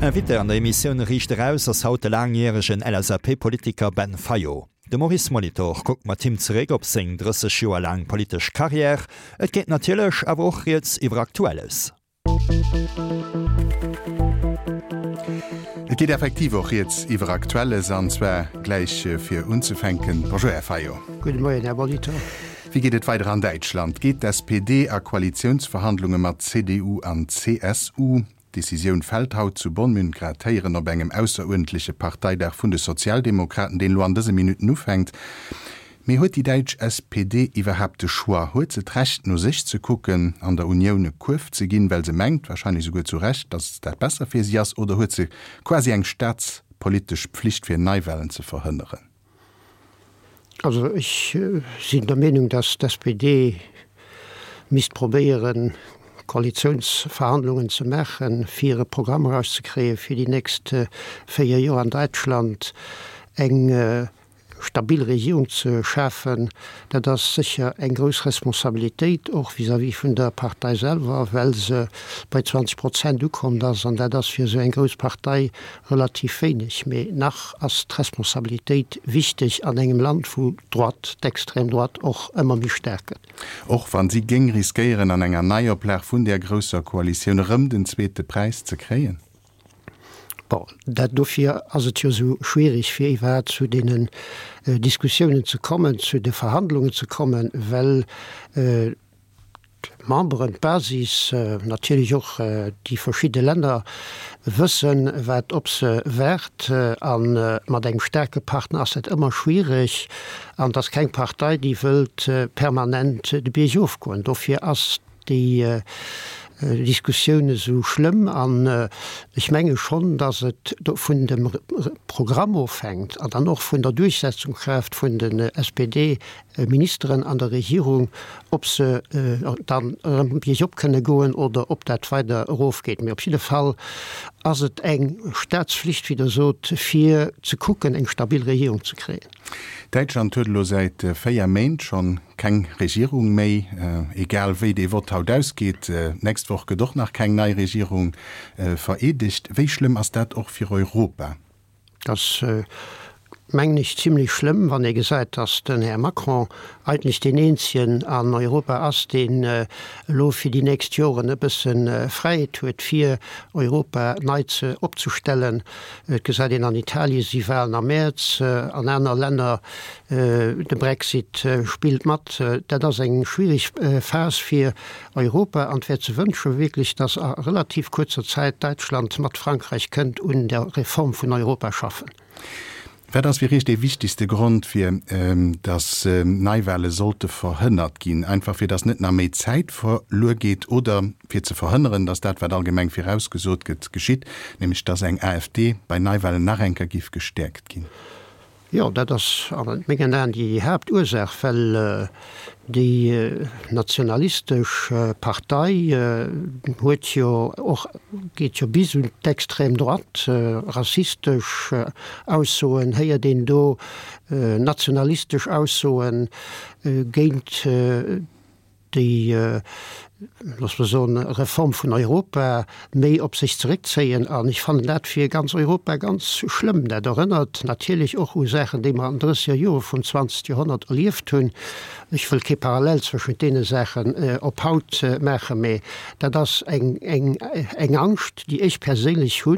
Invité an der Emissioun Riicht Eraus ass haut de laangjäregen LSAP-Politiker Ben Fayot. De Maurice Molitor kuckt mat him zeréck op seng 30 Joer laang politesch Karriär. Et geet natierlech awer och rieds iwwer Aktuelles. Et geet effektiv och rieds iwwer Aktuelles, an zwar gläich fir unzefänken. Bonjour Här Fayot. Gudde Moien Här Molitor. Wéi geet et weider an Däitschland? Geet d'SPD a Koalitiounsverhandlunge mat CDU an CSU? D'Decisioun fält haut zu Bonn. Mir hunn grad héieren op engem ausseruerdentleche Parteidag vun de Sozialdemokraten, deen elo an dëse Minutten ufänkt. Mee huet déi däitsch SPD iwwerhaapt de Choix? Huet se d'Recht no sech ze kucken, an der Unioun e Kuerf ze ginn, well se mengt, wahrscheinlech esouguer zu Recht, datt dat besser fir si ass? Oder huet se quasi eng staatspolitesch Pflicht fir Neiwahlen ze verhënneren? Also ech sinn der Meenung, datt d'SPD misst probéieren, Koalitiounsverhandlungen ze maachen, fir e Programm erauszekréien, fir déi nächst 4 Joer an Däitschland eng stabil Regierung ze schafen. Dat ass sécher eng grouss Responsabilitéit, och vis-à-vis vun der Partei selwer, well se bei 20 Prozent ukommt ass, an dat ass fir esou eng grouss Partei relativ wéineg, mee nach ass d'Responsabilitéit wichteg an engem Land, wou d'Droite, d'extrême droite och ëmmer méi staark gëtt. Och wann si géing riskéieren, an enger Neioplag vun där grousser Koalitioun erëm den zweete Präis ze kréien. Bon, dat, dofir ass et jo esou schwierig, fir iwwerhaapt zu deenen Diskussiounen ze kommen, zu de Verhandlungen ze kommen, well D'Memberen, d'Basis, natierlech och déi verschidde Länner wëssen, wat op se waart. A mat engem staarke Partner ass dat ëmmer schwiereg. An et ass keng Partei, déi wëllt permanent de Bierg ofgoen. Dofir ass déi Diskussioun esou schlëmm. An ech menge schonn, datt et vun dem Programm ofhänkt an dann och vun der Duerchsetzungskraaft vun den SPD Ministeren an der Regierung, ob se dann erëm biergop kënne goen oder ob dat weider erofgeet. Mee op jidde Fall ass et eng Staatsflicht, wéi Der sot, fir ze kucken, eng stabil Regierung ze kréien. Däitschland huet elo säit 4 Méint schonn keng Regierung méi. Egal wéi dee Vott haut ausgeet, d'nächst Woch gëtt och nach keng nei Regierung vereedegt. Wéi schlëmm ass dat och fir Europa? Dat ass, mengen ech, zimlech schlëmm, wann ee gesäit, datt den Här Macron eigentlech deen eenzegen an Europa ass, deen elo fir déi nächst Joren e bësse Fräiheet huet, fir Europa nei ze opzestellen. Et gesäit een, an Italie si Wahlen am Mäerz, an aner Länner, de Brexit spillt mat. Dat ass eng schwierig Phas fir Europa an et wär ze wënsche wierklech, datt a relativ kuerzer Zäit Däitschland mat Frankräich kënnt un der Reform vun Europa schaffen. Wat ass fir Iech dee wichtegste Grond fir datt Neiwahle sollte verhënnert ginn? Einfach fir datt net nach méi Zäit verluer geet oder fir ze verhënneren, datt dat wat allgemeng virausgesot gëtt, geschitt, nämlech datt eng AfD bei Neiwahlen nach eng Kéier giff gestäerkt ginn? Jo, dat ass a mengen Aen déi Haaptursaach, well déi nationalistesch Partei huet jo och, geet jo bis un d'extrême droite, rassistesch Aussoen héiert een do, nationalistesch Aussoen géint déi, loosse mer soen, Reform vun Europa méi op sech zeréckzéien. An ech fannen dat fir ganz Europa ganz schlëmm. Dat erënnert natierlech och u Saachen, déi mer an den drësseger Jore vum zwanzegt Joerhonnert erlieft hunn. Ech wëll kee Parallel zwëschent deene Saachen op haut maachen, mä dat ass eng, eng, eng Angscht, déi ech perséinlech hu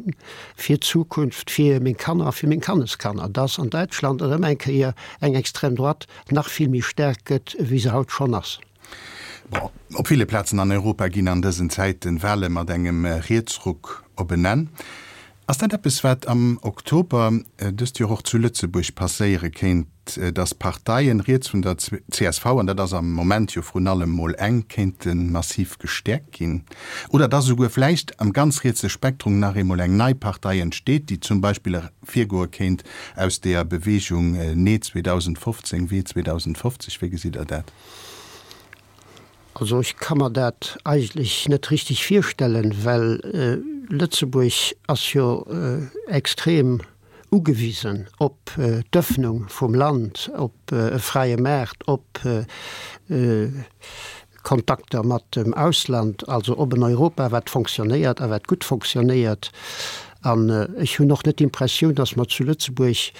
fir d'Zukunft, fir meng Kanner a fir meng Kanneskanner, dass an Däitschland erëm eng Kéier eng extrême droite nach vill méi staark gëtt, wéi se haut schonn ass. Bon, op ville Plazen an Europa ginn an dësen Zäiten Wahle mat engem Rietsruck op en Enn. Ass dat eppes, wat am Oktober dëst Joer och zu Lëtzebuerg passéiere kéint, datt Parteien riets vun der csv, an dat ass am Moment jo vrun allem mol eng, kéinte massiv gestäerkt ginn? Oder datt esouguer vläicht am ganz rietse Spektrum nach eemol eng nei Partei entsteet, déi zum Beispill virgoe kéint aus deeër Beweegung Nee 2015, Wee 2050? Wéi gesitt Der dat? Also ech ka mer dat eigentlech net richteg virstellen, well Lëtzebuerg ass jo extrem ugewisen op d'Ëffnung vum Land, op e fräie Maart, op Kontakter mat dem Ausland, also op en Europa wat fonctionnéiert a wat gutt fonctionnéiert. An ech hunn och net d'Impressioun, datt mer zu Lëtzebuerg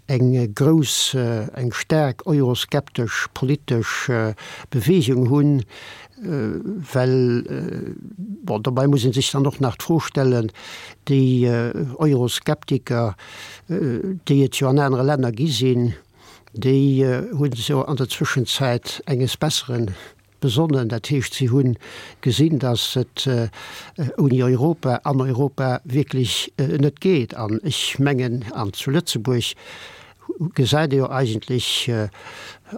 eng grouss, eng staark euroskeptesch politesch Bewegung hunn, well, bon, dobäi muss ee sech dann och nach d'Fro stellen, déi Euroskeptiker, déi et jo an anere Länner gi sinn, déi hu sech jo an der Zwëschenzäit enges Bessere besonnen. Dat heescht, si hu gesinn, datt et ouni Europa an Europa wierklech net geet. An ech mengen, an zu Lëtzebuerg gesäit ee jo eigentlech,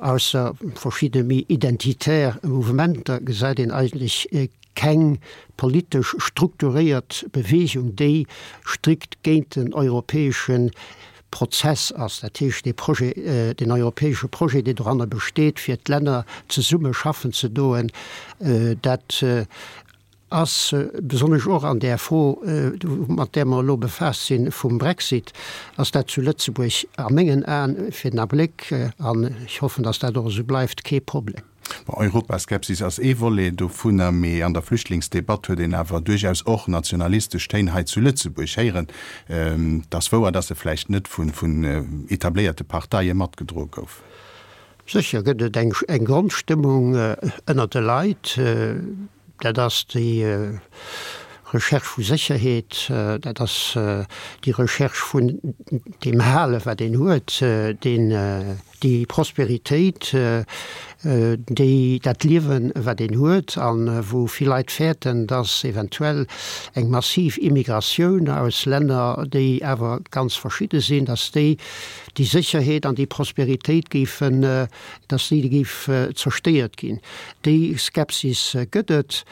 ausser verschidde méi identitär Mouvementer, gesäit een eigentlech keng politesch strukturéiert Bewegung, déi strikt géint den europäesche Prozess ass, dat heescht dee Projet, deen europäesche Projet, deen doranner besteet, fir d'Länner zesumme schaffen ze doen, dat ass besonnesch och an där Fro, mat där mer elo befaasst sinn, vum Brexit, ass dat zu Lëtzebuerg a mengen Aen fir den Abléck, an ech hoffen, datt dat och esou bleift, kee Problem. Bon, Europaskepsis ass ee Volet dovunner, mee an der Flüchtlingsdebatt huet een awer duerchaus och nationalistesch Téin hei zu Lëtzebuerg héieren. Et ass wouer, datt se vläicht net vun etabléierte Parteie matgedroe gouf. Sécher gëtt et eng Grondstëmmung ënnert de Leit, Dat ass déi Recherche vu Sécherheet, dat ass déi Recherche vun deem Halen, wat een huet, deen, déi Prosperitéit, déi, dat Liewen, wat een huet, a wou vill Leit fäerten, dass eventuell eng massiv Immigratioun aus Länner, déi awer ganz verschidde sinn, dass déi déi Sécherheet an déi Prosperitéit géifen, dass déi géif zerstéiert ginn. Déi Skepsis gëtt et,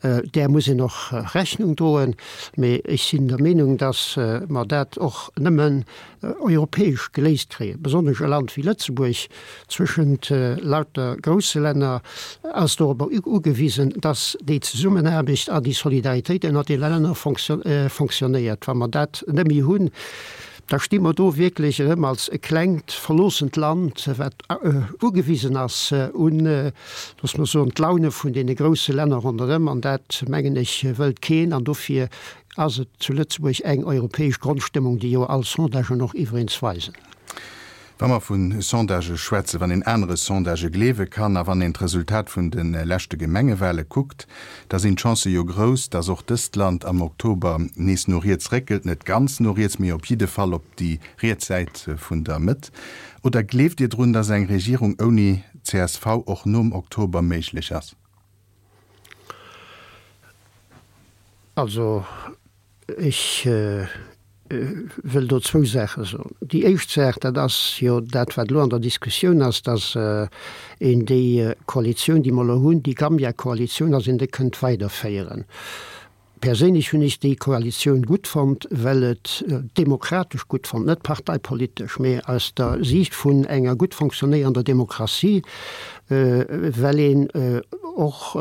där muss een och Rechnung droen. Mee ech sinn der Meenung, dass mer dat och nëmmen europäesch geléist kréien. Besonnesch e Land wéi Lëtzebuerg, zwëschent lauter grousse Länner, ass dorobber ugewisen, dass déi Zesummenaarbecht an déi Solidaritéit ënnert de Länner fonctionnéiert. Wa mer dat net méi hunn, Da sti mer do wierklech erëm als e klengt, verloossent Land, wat ugewisen ass un, loosse mer soen, d'Laune vun deene grousse Länner ronderëm. An dat, mengen ech, wëllt keen. An dofir ass et zu Lëtzebuerg eng europäesch Grondstëmmung, déi jo all Sondagen och iwwereens weisen. Wa mer vu Sondagë schwätzen, wann een anere Sondagë gleewe kann a wann een d'Resultat vun de leschte Gemengewale kuckt, da sinn d'Chancë jo grouss, datt och dëst Land am Oktober nees no riets réckelt, net ganz no riets, mee op jidde Fall op déi riets Säit vun der Mëtt. Oder gleeft Dir drun, datt eng Regierung ouni csv och nom Oktober méiglech ass? Also Ech wëll do zwou Saache soen. Déi éischt Saach, dat ass jo dat, wat elo an der Diskussioun ass, dass een déi Koalitioun, déi mer elo hunn, déi Gambia-Koalitioun, dass een déi kënnt weiderféieren. Perséinlech hunn ech déi Koalitioun gutt fonnt, well et demokratesch gutt fonnt, net parteipolitesch, mee aus der Siicht vun enger gutt fonctionnéierender Demokratie, well een och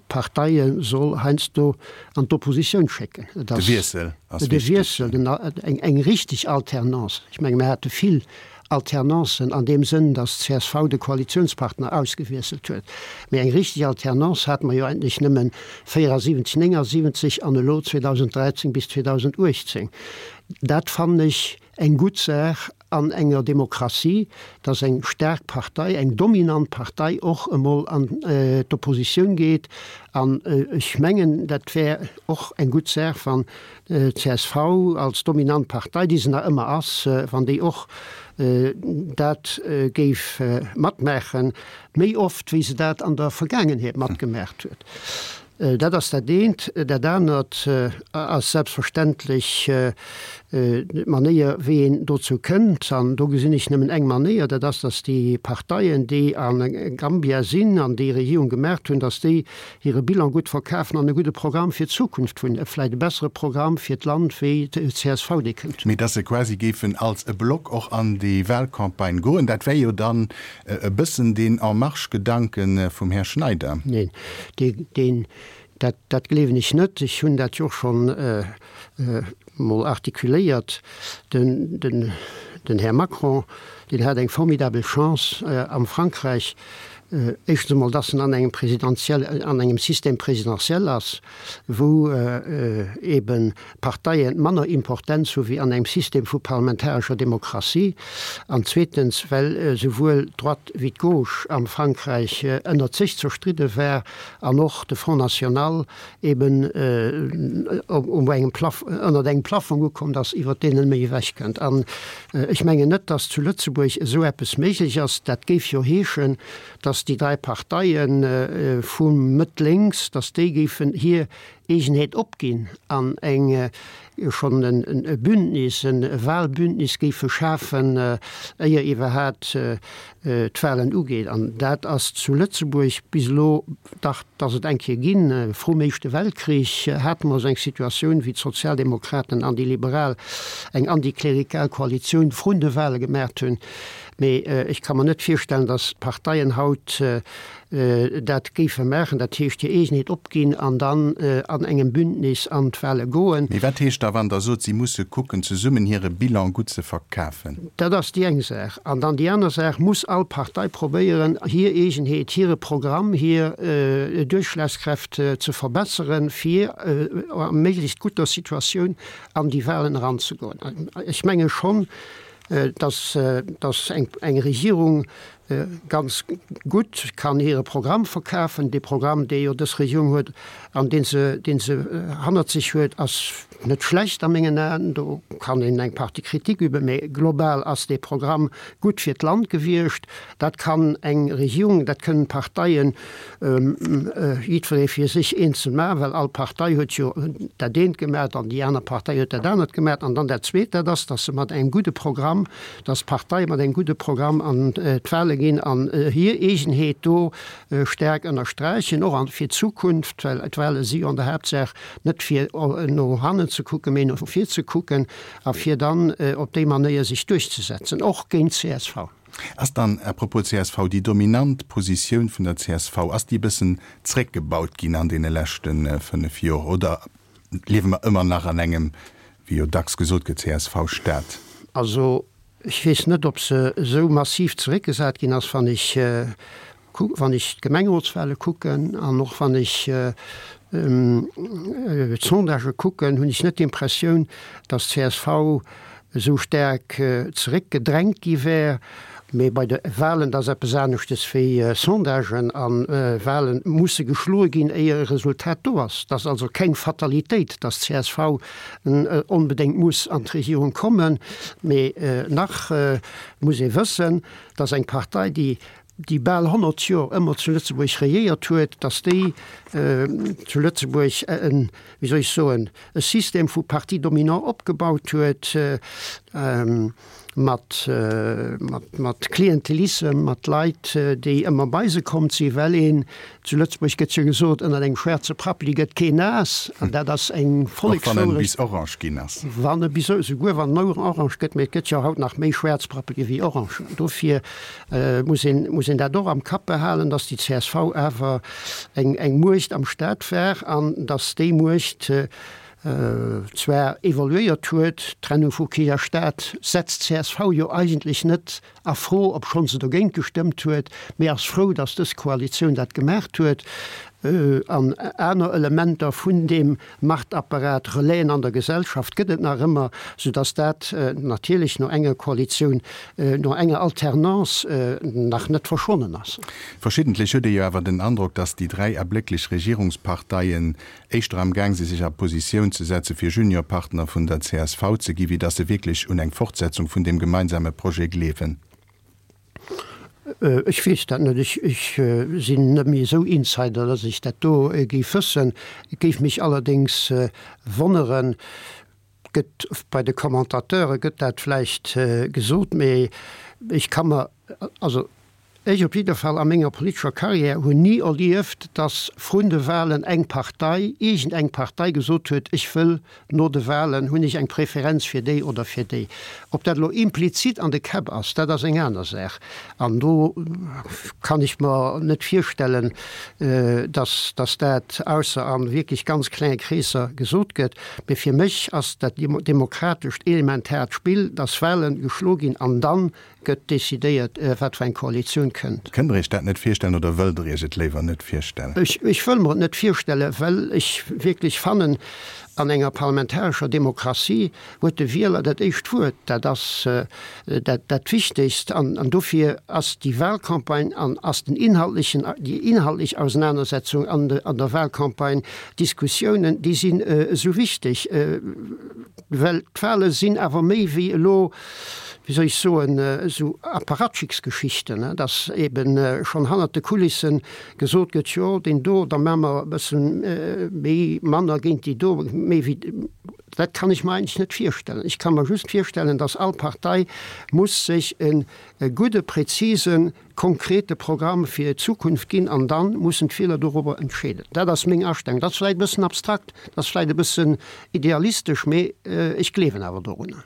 Parteie soll heiansdo an d'Oppositioun schécken. Et ass De Wiessel ass de wichteg. Wiessel, den, eng, eng richteg Alternance. Ech menge mir hate vill Alternancen an deem Sënn, datt d'CSV de Koalitionspartner ausgewiesselt huet. Mee eng richteg Alternance hate mer jo eigentlech nëmmen 74, 79 an elo 2013 bis 2018. Dat fannen ech eng gutt Saach an enger Demokratie, dass eng staark Partei, eng dominant Partei och emol an d'Oppositioun geet. An ech mengen, dat wär och eng gutt Saach, wann d'CSV als dominant Partei, déi se nach ëmmer ass, wann déi och dat géif matmaachen, méi oft wéi se dat an der Vergaangenheet matgemaacht huet. Dat ass dat eent. Dat anert ass selbstverständlech d'Manéier, wéi een dozou kënnt. An do gesinn ech nëmmen eng Manéier, dat ass, datt déi Parteien, déi a Gambia sinn an déi Regierung gemaacht hunn, datt déi hire Bilan gutt verkafen an e gudde Programm fir d'Zukunft hunn, e vläicht e bessere Programm fir d'Land wéi d'CSV dee kënnt. Mee datt se quasi géifen als e Block och an déi Wahlcampagne goen, dat wär jo dann e bëssen deen En Marche-Gedanke vum Här Schneider. Neen, deen, dat, dat gleewen ech net. Ech hunn dat jo och schonn emol artikuléiert. Den, den, den Här Macron, deen hat eng formidabel Chance am Frankräich. Éischtens emol, dass en an engem presidentiel, an engem Système présidentiel ass, wou eeben d'Parteien manner Importenz hu wéi an engem System vu parlamentarescher Demokratie. An zweetens, well esouwuel d'Droite wéi d'Gauche am Frankräich ënnert sech zerstridde war an och de Front National eben um engem Plaf, ënnert engem Plafong ukomm ass, iwwert deen en net méi ewechkënnt. An ech mengen net, datt zu Lëtzebuerg esou eppes méiglech ass. Dat géif jo heeschen, datt déi 3 Parteie vu Mëtt lénks, datt déi géifen hir Eegenheet opginn an eng schonn e Bündnis, e Wahlbündnis géife schafen, éier iwwerhaat d'Wahlen ugeet. An dat ass zu Lëtzebuerg bis elo, dach, et ass et eng Kéier ginn, vrum Éischte Weltkrich hate mer esou eng Situatioun, wéi d'Sozialdemokraten an déi Liberal eng antiklerikal Koalitioun vrun de Wahle gemaacht hunn. Mee ech ka mer net virstellen, datt d'Parteien haut dat géife maachen, dat heescht hir Eegenheet opginn an dann an engem Bündnis an d'Wahle goen. Mee wat heescht da, wann Der sot, si musse kucken, zesummen hire Bilan gutt ze verkafen? Dat ass déi eng Saach. An dann déi aner Saach, muss all Partei probéieren, hir Eegenheet, hire Programm, hir Duerchschlagskräft ze verbesseren, fir a méiglechst gutter Situatioun an déi Wahlen eranzegoen. Ech menge schonn, dass eng Regierung ganz gutt kann hire Programm verkafen. Dee Programm, dee jo dës Regierung huet an dee se, dee se hannert sech huet, ass net schlecht a mengen Aen. Do kann een eng Partie Kritik üben, mä global ass dee Programm gutt fir d'Land gewiescht. Dat kann eng Regierung, dat kënnen d'Parteien jiddweree fir sech eenzel maachen, well all Partei huet jo dat eent gemaach an déi aner Partei huet dat anert gemaach. An dann dat Zweet, dat ass, datt se mat engem gudde Programm, datt d'Parteie mat engem gudde Programm an d'Wahle ginn an hir Eegenheet do staark ënnersträichen, och fir d'Zukunft, well d'Wahle si jo an der Haaptsaach net fir no hannen ze kucken, mee no vir ze kucken a fir dann op déi Manéier sech duerchzesetzen, och géint csv. Ass dann, à propos csv, déi dominant Positioun vun der csv, ass déi e bëssen zréckgebaut ginn an deene leschte 5 Jor oder liewe mer ëmmer nach an engem, wéi jo dacks gesot gëtt, CSV-Staat? Also ech weess net, ob se esou massiv zeréckgesat ginn ass. Wann ech wann ech d'Gemengerotswale kucken an och wann ech d'Sondagë kucken, hunn ech net d'Impressioun, datt csv esou staark zeréckgedrängt gi wär. Mee bei de Walen, dat ass eppes aneschtes wéi Sondagen, a Wale musse geschloe ginn, éier e Resultat do ass. Et ass also keng Fatalitéit, datt csv onbedéngt muss an d'Regierung kommen. Mee nach muss ee wëssen, datt eng Partei, déi déi bal 100 Joer ëmmer zu Lëtzebuerg regéiert huet, datt déi zu Lëtzebuerg en, wéi soll ech soen, e System vu Partis dominants opgebaut huet, mat, mat, mat Klientelissem, mat Leit, déi ëmmer bei se komm sinn, well een, zu Lëtzebuerg gëtt jo gesot, ënnert engem schwaarze Prappeli gëtt keen naass, an dat ass eng Vollekswourecht. Och wann en bis orange ginn ass. Wann e bis, souguer wann en orange gëtt, mee et gëtt jo haut nach méi schwaarz Prappeli wéi orange. Dofir muss een, muss een dat och am Kapp behalen, dass déi csv awer eng, eng Muecht am Staat war an dass déi Muecht zwar evoluéiert huet. D'Trennung vu Kierch a Staat setzt csv jo eigentlech net a Fro, obschonn se dogéint gestëmmt huet, mee ass frou, dass dës Koalitioun dat gemaacht huet an aner Elementer vun deem Machtapparat, Relaisen an der Gesellschaft gëtt et nach ëmmer, soudass dat natierlech no enger Koalitioun, no enger Alternance nach net verschwonnen ass. Verschiddentlech huet ee jo awer den Androck, dass déi 3 erblécklech Regierungsparteien éischter am Gaang si sech a Positioun ze setze fir Juniorpartner vun der csv ze gi wéi dass se wierklech un eng Fortsetzung vun deem gemeinsame Projet gleewen. Ech weess dat net. Ech sinn net méi esou Insider, dass ech dat do géif wëssen. Et géif mech allerdéngs wonneren, gëtt bei de Commentateure gëtt dat vläicht gesot, mee ech ka mer, also ech op jidder Fall a menger politescher Carrière hunn ni erlieft, dass vrun de Wahlen eng Partei, iergend eng Partei gesot huet, ech wëll No de Wahlen hunn ech eng Preferenz fir déi oder fir déi. Ob dat elo implizit an de Käpp ass, dat ass eng aner Saach. An do kann ech mer net virstellen, dass dass dat ausser a wierklech ganz klenge Kreesser gesot gëtt. Mee fir mech ass dat demokratescht elementaart Spill, dass Wahlen geschlo ginn an dann gëtt decidéiert, wat fir eng Koalitioun. kënnt. Kënnt Der Iech dat net virstellen oder wëllt Der Iech et léiwer net virstellen? Ech, ech wëll mer et net virstellen, well ech wierklech fannen, an enger parlamentarescher Demokratie huet de Wieler dat éischt Wuert. Dat ass dat, dat Wichtegst. An, an dofir ass déi Wahlcampagne an ass den inhaltlechen, déi inhaltlech Ausenanersetzung an de, an der Wahlcampagne, d'Diskussiounen, déi sinn esou wichteg. Well d'Wahle sinn awer méi wéi elo, wéi soll ech soen, esou Apparatchiksgeschichten, dass eben schonn hannert de Kulissen gesot gëtt, jo deen do, da maache mer e bësse méi, manner géint déi do, méi wéi. Dat kann ech mer eigentlech net virstellen. Ech ka mer just virstellen, dass all Partei muss sech e gudde, präzisen, konkrete Programm fir d'Zukunft ginn an dann mussen d'Wieler dorobber entscheeden. Dat ass meng Astellung. Dat ass vläicht e bëssen abstrakt, dat ass vläicht e bëssen idealistesch, mee ech gleewen awer dorunner.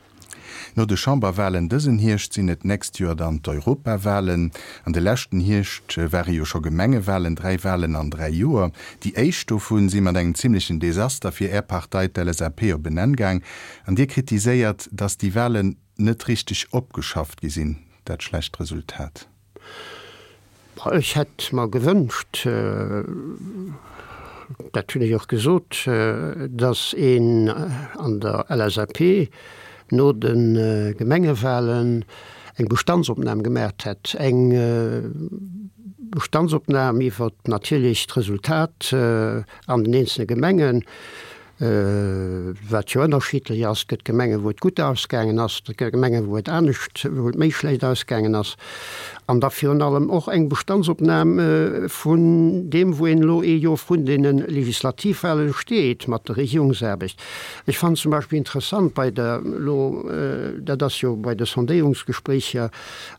No de Chamberwahlen dësen Hierscht sinn et d'nächst Joer dann d'Europawahlen. An de leschten Hierscht ware jo scho Gemengewahlen, 3 Wahlen an 3 Joer. Déi éischt dovun si mat engem zimlechen Desaster fir Är Partei, d'LSAP, op en Enn gaang. An Dir kritiséiert, datt déi Wahlen net richteg opgeschafft gi sinn, dat schlecht Resultat. Ech hätt mer gewënscht, dat hunn ech och gesot, datt een an der LSAP no de Gemengewahlen eng Bestandsopnam gemaacht hätt, eng Bestandsopnam iwwer natierlech d'Resultat an den eenzele Gemengen, wat jo ënnerschiddlech ass. Et gëtt Gemengen, wou et gutt ausgaangen ass, et gëtt Gemengen, wou et anescht, wou et méi schlecht ausgaangen ass. An da virun allem och eng Bestandsopnam vun deem, wou een elo ee Joer vrun deene Legislativwahlen steet mat der Regierungsaarbecht. Ech fannen zum Beispill interessant bei der elo, dat ass jo bei de Sondéierungsgespréicher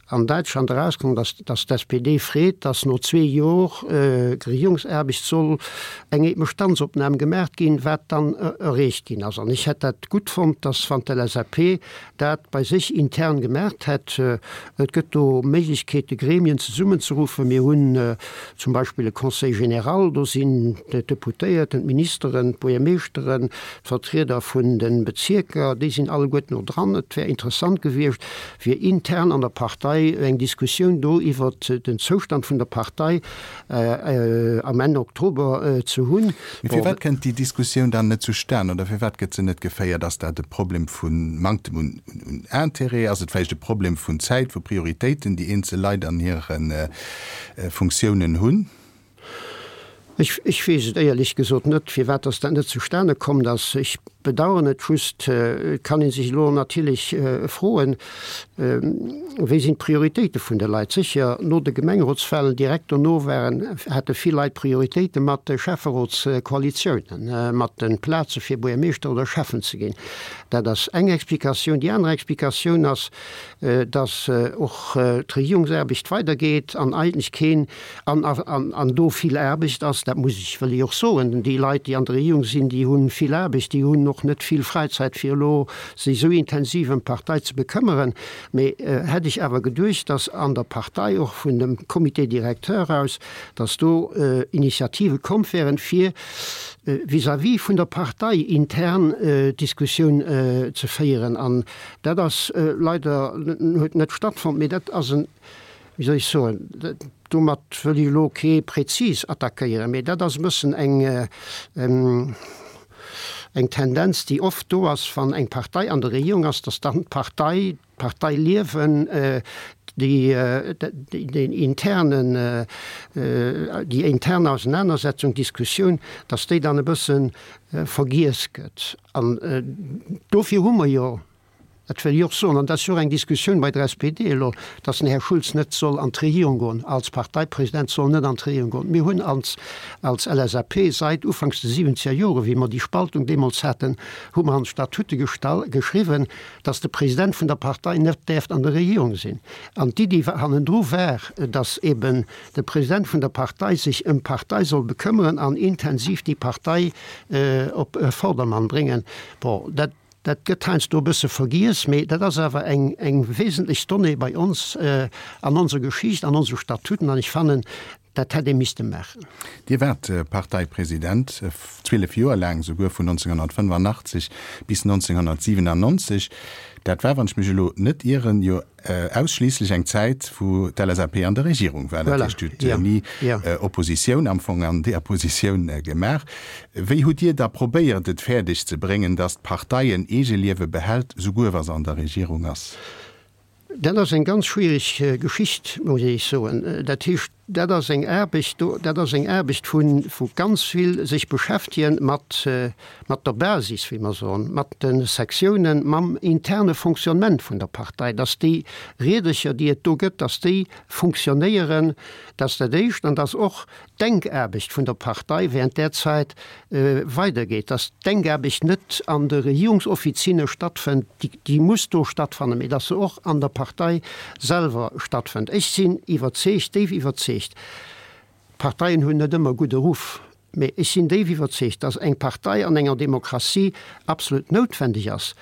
an Däitschland erauskomm, dass dass d'SPD freet, dass no zwee Jor Regierungsaarbecht soll eng Bestandsopnam gemaacht ginn, wat dann erreecht ginn ass. An ech hätt dat gutt fonnt, dass wann d'LSAP dat bei sech intern gemaacht hätt, et gëtt do Méiglechkeete Gremien zesummenzeruffen, mir hunn zum Beispill e Conseil général, do sinn d'Deputéierten, d'Ministeren, d'Buergermeeschteren, d'Vertrieder vun de Bezierker, déi sinn alleguerten do dran. Et wär interessant gewiescht, fir intern an der Partei eng Diskussioun do iwwert den Zoustand vun der Partei am Enn Oktober ze hunn. Mee firwat kënnt déi Diskussioun dann net zustan oder firwat gëtt se net geféiert? Ass dat e Problem vu Manktem un Intérêt? Ass et vläicht e Problem vun Zäit, vu Prioritéiten, déi eenzel Leit an hire Funktiounen hunn? Ech weess et éierlech gesot net, firwat dass dat net zustane komm ass. Ech bedauern et just. Et kann ee sech elo natierlech froen, Wéi sinn d'Prioritéite vun de Leit? Sécher, no de Gemengerotswahlen, direkt dono waren, hate vill Leit Prioritéite mat de Schäfferotskoalitiounen, mat de Plaze fir Buergermeeschter oder Schäffen ze ginn. Dat ass eng Explikatioun. Déi aner Explikatioun ass, dass och d'Regierungsaarbecht weidergeet an eigentlech keen An, an do vill Aarbecht ass, dat muss ech, wëll ech och soen, déi Leit, déi an der Regierung sinn, déi hu vill Aarbecht, déi hunn och net vill Fräizäit fir elo sech esou intensiv ëm d'Partei ze bekëmmeren. Mee hätt ech awer geduecht, datt an der Partei, och vun dem Comité directeur aus, datt do Initiative komm wären, fir vis-à-vis vun der Partei intern d'Diskussioun ze féieren. An dat ass leider, huet net stattfonnt. Mee dat ass en wéi soll ech soen, domat wëll ech elo kee prezis attackéieren, mee dat ass e bëssen eng, eng Tendenz, déi oft do ass, wann eng Partei an der Regierung ass, datt dann d'Partei, d'Parteiliewen, déi, deen internen, déi intern Ausenanersetzung, Diskussioun, datt déi dann e bësse vergiess gëtt. An dofir hu mer jo Dat wëll ech och soen, an dat ass jo och eng Diskussioun bei der SPD elo, datt den Här Schulz net soll an d'Regierung goen, als Parteipresident soll net an d'Regierung goen. Mir hunn als, als LSAP seit ufanks de siwwenzeger Jore, wéi mer déi Spaltung deemools haten, hu mer an d'Statute gestall, geschriwwen, datt de President vun der Partei net däerft an der Regierung sinn. An d'Iddi hannendru war, datt eben de President vun der Partei sech ëm d'Partei soll bekëmmeren an intensiv déi Partei op Vordermann bréngen. Bon, dat. Dat gëtt heiansdo e bësse vergiess, mee dat ass awer eng eng wesentlech Donnée bei ons an onser Geschicht, an onse Statuten. An ech fannen, Dat hätt ee misste maachen. Dir waart Parteipresident, 12 Joer laang souguer, vun 1985 bis 1997. Dat war, wann ech mech elo net ieren, jo ausschliisslech eng Zäit, wou d'LSAP an der Regierung war. Dat heescht, Dir hutt ni Oppositioun am Fong an deeër Positioun gemaach. Wéi hutt Dir da probéiert, et fäerdeg ze bréngen, datt d'Partei en Eegeliewe behält, souguer wa se an der Regierung ass? Dat ass eng ganz schwierig Geschicht, muss ech soen. Dat heescht, dat ass eng Aarbecht do, dat ass eng Aarbecht vu vu ganz vill sech beschäftegen mat mat der Basis, wéi mer soen, mat de Sektiounen, mam interne Fonctionnement vun der Partei, dass déi Riedercher, déi et do gëtt, dass déi funktionéieren, dat ass dat Éischt, an dass och d'Denkaarbecht vun der Partei während där Zäit weidergeet, dass d'Denkaarbecht net an de Regierungsoffizinne stattfënnt, déi muss do stattfannen, mee dass se och an der Partei selwer stattfënnt. Ech sinn iwwerzeegt, déif iwwerzeegt, d'Parteien hunn net ëmmer gudde Ruff, mee ech sinn déif iwwerzeegt, dass eng Partei an enger Demokratie absolut noutwendeg ass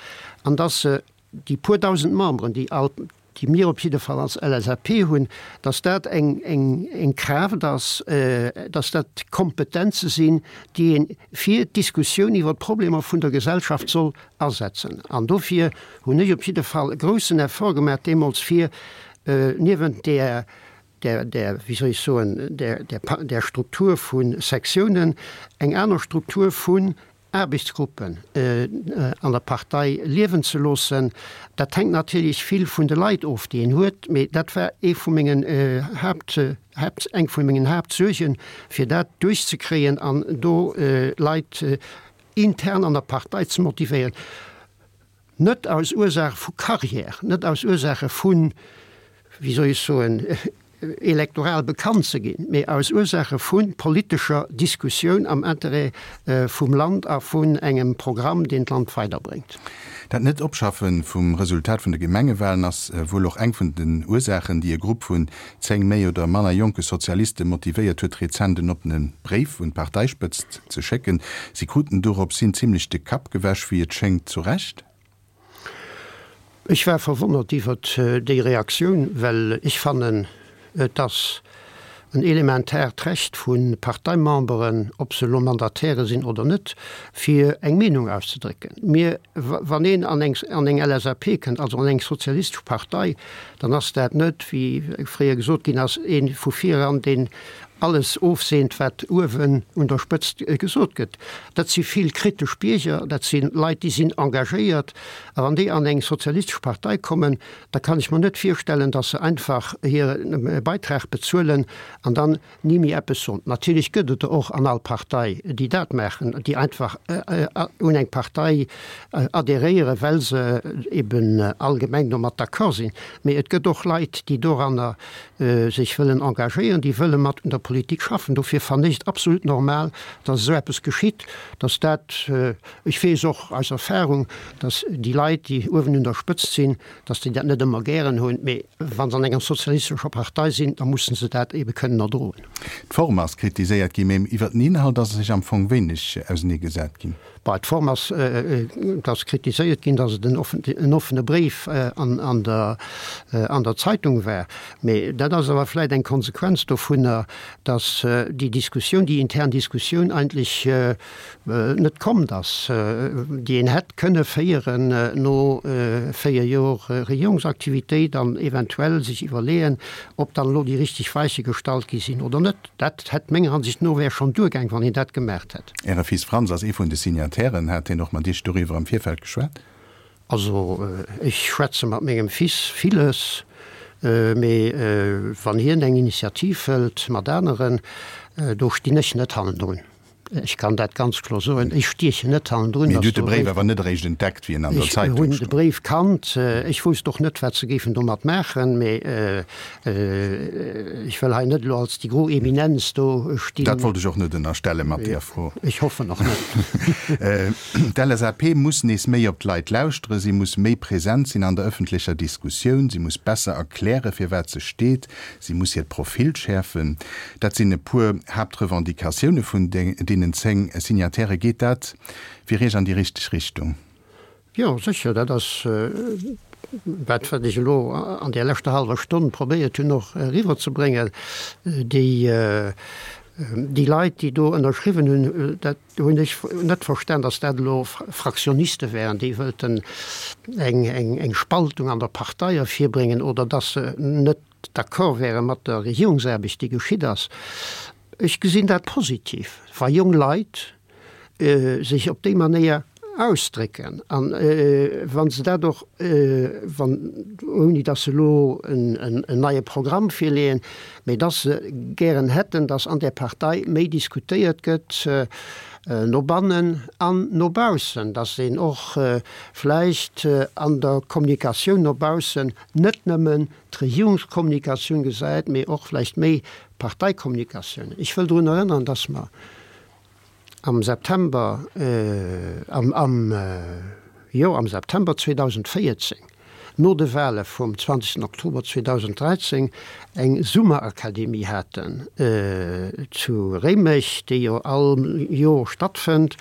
an dass se déi puer dausend Memberen, déi all, déi mir op jidde Fall als LSAP hunn, datt dat eng, eng, eng Kraaft ass, datt dat Kompetenze sinn, déi ee fir d'Diskussioun iwwer d'Problemer vun der Gesellschaft soll asetzen. An dofir hunn ech op jidde Fall e groussen Effort gemaach deemools, fir niewent där, där, där, wéi soll ech soen, där, där, där Struktur vu Sektiounen eng aner Struktur vun Aarbechtsgruppen an der Partei liewen ze loossen. Dat hänkt natierlech vill vun de Leit of, déi een huet, mee dat war ee vu mengen Haapt, Haapt, eng vu mengen Haaptsuergen, fir dat duerchzekréien an do Leit intern an der Partei ze motivéieren. Net aus Ursaache vu Carrière, net aus Ursaache vu, wéi soll ech soen, elektoral bekannt ze ginn, mee aus Ursaache vu politescher Diskussioun am Interêt vum Land a vun engem Programm, deen d'Land weiderbréngt. Dat Net-Opschaffe vum Resultat vun de Gemengewalen ass wuel och eng vun den Ursaachen, déi e Grupp vun 10 méi oder manner jonke Sozialiste motivéiert huet, rezent en oppene Bréif un d'Parteispëtzt ze schécken. Si kruten dorops hin zimlech de Kapp gewäsch, wéi et schéngt zu Recht. Ech war verwonnert iwwert déi Reaktioun, well ech fannen, et ass en elementaart Recht vu Parteimemberen, ob se elo Mandataire sinn oder net, fir eng Meenung auszedrécken. Mir, wann een an eng an eng LSAP kënnt, also an eng sozialistesch Partei, dann ass dat net, wéi fréier gesot ginn ass, ee vu vireran, deen alles ofseent, wat uewen un der Spëtzt gesot gëtt. Dat si vill kritesch Bierger, dat si Leit, déi sinn engagéiert. A wann déi an eng sozialistesch Partei kommen, da kann ech mer net virstellen, datt se einfach hire Beitrag bezuelen an dann ni méi eppes soen. Natierlech gëtt et der och an all Partei, déi dat maachen, déi einfach un eng Partei adhéréieren, well se eben allgemeng domat d'accord sinn. Mee et gëtt och Leit, déi doranner sech wëllen engagéieren, déi wëlle mat un der Politik schaffen. Dofir fannen ech et absolut normal, datt esou eppes geschitt, datt dat, ech weess och aus Erfahrung, datt déi Leit, déi uewen un der Spëtzt sinn, datt déi dat net ëmmer gären hunn, mee wa se an enger sozialistescher Partei sinn, da musse se dat ebe kënnen erdroen. D'Form ass kritiséiert ginn, mee iwwer den Inhalt ass sech am Fong wéineg auseneegesat ginn. Bei d'Form ass, et ass kritiséiert ginn, datt et en offene Bréif an der Zeitung war, mee dat ass awer vläicht eng Konsequenz dovunner, datt déi Diskussioun, déi intern Diskussioun eigentlech net kommt ass, déi een hätt kënne féieren no 4 Jor Regierungsaktivitéit an eventuell sech iwwerleeën, ob dann elo déi richteg Weiche gestallt gi sinn oder net. Dat hätt menger Ansicht no wär schonn duergaang, wann een dat gemaacht hätt. Äre Fils Franz ass ee vun de Signatairen. Hat hien och mat Iech doriwwer am Virfeld geschwat? Also ech schwätze mat mengem Fils villes, mee wann hien eng Initiativ hëlt mat aneren, do stinn ech net hannendrun. Ech kann dat ganz kloer soen, ech stiechen net hannendrun. Mee Dir hutt de Bréif awer net eréischt entdeckt, wéi en an der Zeitung stoung? Ech hunn de Bréif kannt. Ech wousst och net, wat se géifen domat maachen. Mee ech wëll hei net elo als déi gro Eminenz do stinn. Dat wollt ech och net ënnerstelle mat deer Fro. Ech hoffen och net. D'LSAP muss nees méi op d'Leit lauschteren, si muss méi present sinn an der ëffentlecher Diskussioun, si muss besser erklären, firwat se steet. Si muss hiert Profil schäerfen. Dat sinn e puer Haaptrevendicatioune vun deenen 10 Signatairë. Geet dat fir Iech an déi richteg Richtung? Jo, sécher. Dat ass. dat wat ech elo an där leschter hallwer Stonn probéiert hunn och eriwwerzebréngen, déi, déi Leit, déi do ënnerschriwwen hunn, dat hunn ech net verstan, datt dat elo Fraktioniste wären, déi wëllten eng, eng, eng Spaltung an der Partei ervirbréngen oder datt se net d'accord wäre mat der Regierungsaarbecht, déi geschitt ass. Ech gesinn dat positiv, wa jong Leit sech op déi Manéier ausdrécken an wa se dat och, wann, ouni datt se elo en neie Programm virleeën, mä datt se gären hätten, datt an där Partei méi diskutéiert gëtt, no bannen an no baussen, datt een och vläicht an der Kommunikatioun no baussen net nëmmen d'Regierungskommunikatioun gesäit, mee och vläicht méi d'Parteikommunikatioun. Ech wëll drun erënneren, dass mer am September, am, am, jo, am September 2014, no de Wahle vum 20 Oktober 2013, eng Summerakademie haten zu Réimech, déi jo all Jor stattfënnt,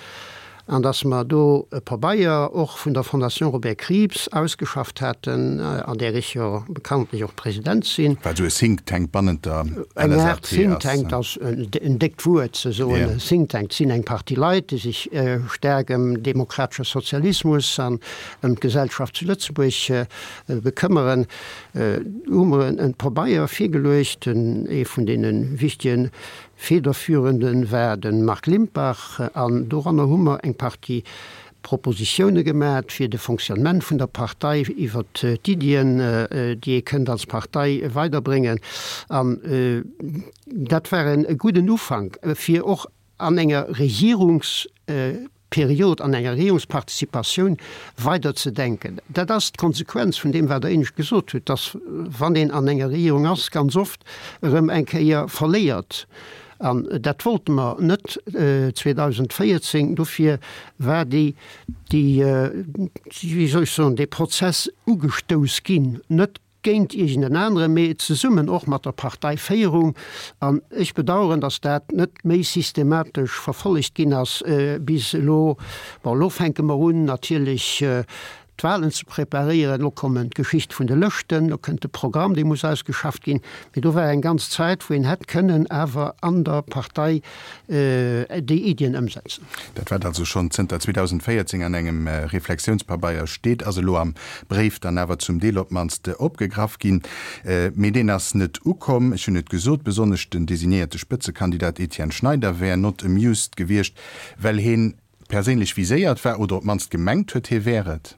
an dass mer do e Pabeier och vun der Fondation Robert Krieps ausgeschafft haten, an där ech jo bekanntlech och President sinn. Wat esou e Think Tank bannent der LSAP ass. Eng Aart Think Tank ass en déckt Wuert ze soen. Think Tank sinn eng Partie Leit, déi sech staark ëm demokratesche Sozialismus an ëm d'Gesellschaft zu Lëtzebuerg bekëmmeren. Do hu mer e Pabeier virgeluecht, ee vun deene wichtege Federführende war de Marc Limpach an doranner hu mer eng Partie Propositioune gemat fir de Fonctionnement vun der Partei, iwwert d'Iddien, déi ee kënnt als Partei weiderbréngen. An dat war e gudden Ufank, fir och an enger Regierungs. Period an enger Regierungsparticipatioun weider ze denken. Dat ass d'Konsequenz vun deem, wat Der éinescht gesot hutt, dass, wann een an enger Regierung ass, ganz oft erëm eng Kéier verléiert. An dat wollte mer net 2014. Dofir war déi, déi, wéi soll ech soen, dee Prozess ugestouss ginn, net géint iergend en aneren, mee zesummen och mat der Parteiféierung. An ech bedauern, datt dat net méi systematesch verfollegt ginn ass bis elo. Bon, elo fänke mer un natierlech d'Wahlen ze preparéieren, elo kommen d'Geschicht vun de Lëschten, elo kënnt de Programm, dee muss ausgeschafft ginn. Mee do war eng ganz Zäit, wou een hätt kënnen awer an der Partei déi Iddien ëmsetzen. Dat wat also schonn zënter 2014 an engem Reflexiounspabeier steet, ass elo am Bréif dann awer zum Deel op d'mannst opgegraff ginn. Mee deen ass net ukomm. Ech hunn et gesot, besonnesch den designéierte Spëtzekandidat Etienne Schneider wär not amused gewiescht, well heen perséinlech viséiert war oder op d'mannst gemengt huet, hie wär et.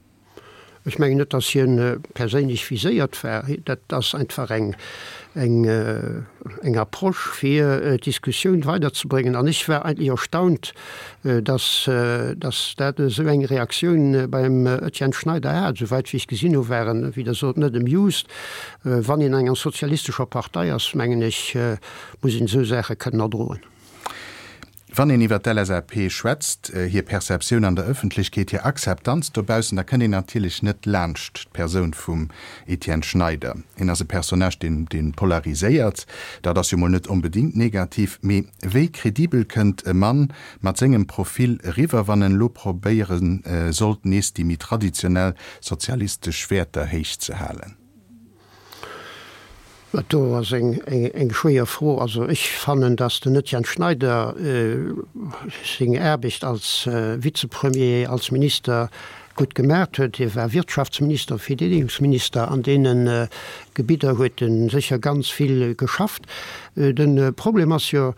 Ech mengen net, datt hien perséinlech viséiert war. Dat ass einfach eng, eng, eng Approche, fir d'Diskussioun weiderzebréngen. An ech war eigentlech erstaunt, datt, datt dat esou eng Reaktioun beim Etienne Schneider hat. Esouwäit wéi ech gesinn hu war en, wéi Der sot, net amused. Wann een an enger sozialistescher Partei ass, mengen ech, muss een esou Saache kënnen erdroen. Wann een iwwer d'LSAP schwätzt, hir Perceptioun an der Ëffentlechkeet, hir Akzeptanz dobaussen, da kënnt een natierlech net laanscht d'Persoun vum Etienne Schneider. Hien ass e Personnage, deen, dee polariséiert. Dat ass jo mol net onbedéngt negativ. Mee wéi credibel kënnt e Mann mat sengem Profil eriwwer, wann en elo probéiere sollt, nees déi méi traditionell sozialistesch Wäerter héichzehalen? Dat do ass eng schwéier Fro. Also ech fannen, datt den Etienne Schneider seng Aarbecht als Vizepremier, als Minister gutt gemaacht huet. Hie war Wirtschaftsminister, Verdeedegungsminister. An deene Gebidder huet e sécher ganz vill geschafft. De Problem ass jo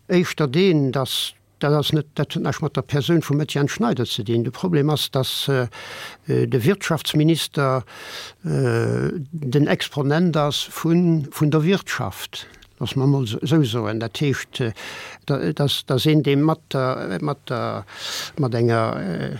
éischter deen, datt Dat ass net, dat huet näischt mat der Persoun vum Etienne Schneider ze dinn. De Problem ass, datt de Wirtschaftsminister den Exponent ass vun der Wirtschaft, loosse mer emol esou soen. Dat heescht, dat ass een, dee mat der, mat der, mat enger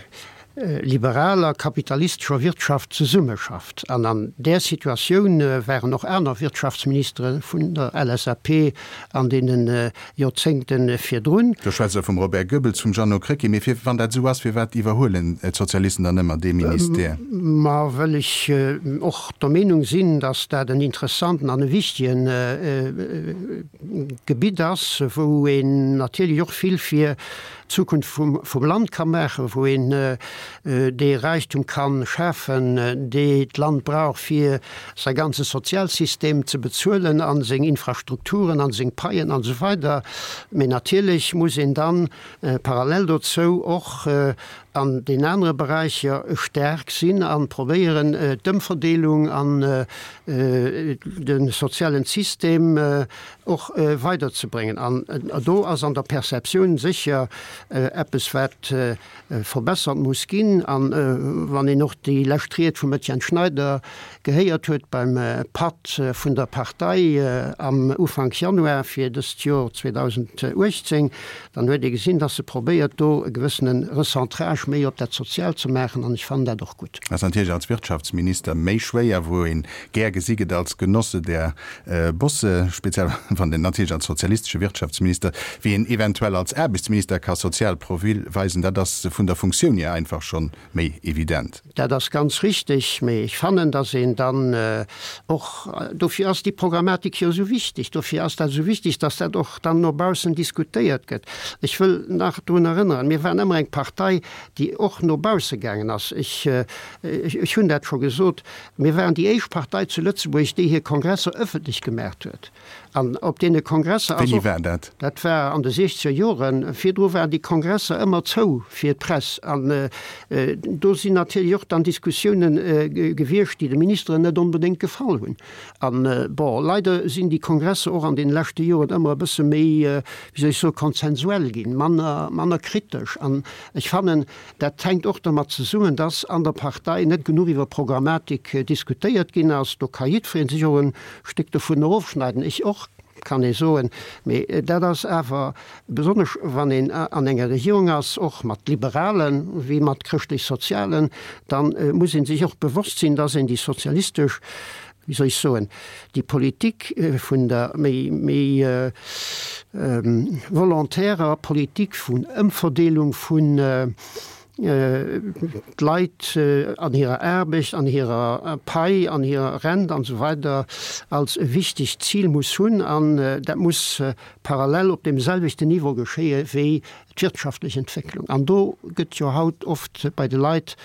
liberaler kapitalistescher Wirtschaft zesummeschafft. An an där Situatioun waren och aner Wirtschaftsministere vun der LSAP an deene Joerzéngte virdrun. Do schwätzt Der vum Robert Goebbels, vum Jeannot Krecké. Mee fir, wann dat esou ass, firwat iwwerhuelen d'Sozialisten dann ëmmer dee Ministère? Ma well ech och der Meenung sinn, datt dat en interessanten an e wichtigen Gebitt ass, wou een natierlech och vill fir. d'Zukunft vum Land ka maachen, wou een dee Räichtum ka schafen, dee d'Land brauch, fir säi ganze Sozialsystem ze bezuelen a seng Infrastrukturen a seng Paien an esou weider. Mee natierlech muss een dann parallel dozou och an den anere Beräicher staark sinn a probéieren, d'Ëmverdeelung an de sozialen System och weiderzebréngen. An do ass an der Perceptioun sécher eppes, wat verbessert muss ginn. A wann een och déi lescht Ried vum Etienne Schneider gehéiert huet beim Patt vun der Partei am Ufank Januar fir dëst Jor 2018, dann huet ee gesinn, dass se probéiert, do e gewëssene Recentrage méi op dat Soziaalt ze maachen, an ech fannen dat och gutt. Ass natierlech als Wirtschaftsminister méi schwéier, wou een gär gesi gëtt als Genosse der Bosse, speziell wann en natierlech als sozialistesche Wirtschaftsminister, wéi een eventuell als Aarbechtsminister ka sozial Profil weisen, dat ass vun der Funktioun hier einfach schonn méi evident. Dat ass ganz richtig, mee ech fannen, dass een dann och, dofir ass déi Programmatik jo esou wichtig, dofir ass dat esou wichtig, dass dat och dann no baussen diskutéiert gëtt. Ech wëll nach drun erënneren, mir waren ëmmer eng Partei, déi och no bausse gaangen ass. Ech, ech hunn dat scho gesot, mir waren déi éischt Partei zu Lëtzebuerg, déi hir Kongresser öffentlech gemaacht huet. An op deene Kongresser ass och. Wéini war dat? Dat war an de siechzeger Joren. Virdru waren déi Kongresser ëmmer zou fir d'Press. An do sinn natierlech och dann Diskussiounen gewiescht, déi de Ministeren net onbedéngt gefall hunn. An, bon, leider sinn déi Kongresser och an deene leschte Joren ëmmer e bësse méi, wéi soll ech soen, konsensuell ginn, manner, manner kritesch. An ech fannen, dat hänkt och dermat zesummen, dass an der Partei net genuch iwwer Programmatik diskutéiert ginn ass. Do ka jiddweree sech och e Stéck dovun erofschneiden, ech och, kann ee soen. Mee dat ass awer, besonnesch wann een an enger Regierung ass, och mat Liberalen wéi mat Chrëschtlech-Sozialen, da muss ee sech och bewosst sinn, dass een déi sozialistesch, wéi soll ech soen, déi Politik vun der méi, méi volontairer Politik vun Ëmverdeelung vun d'Leit an hirer Aarbecht, an hirer Pai, an hirer Rent an esou weider als e wichtegt Zil muss hunn. An dat muss parallel op deem selwechten Niveau geschéie wéi d'wirtschaftlech Entwécklung. An do gëtt jo haut oft bei de Leit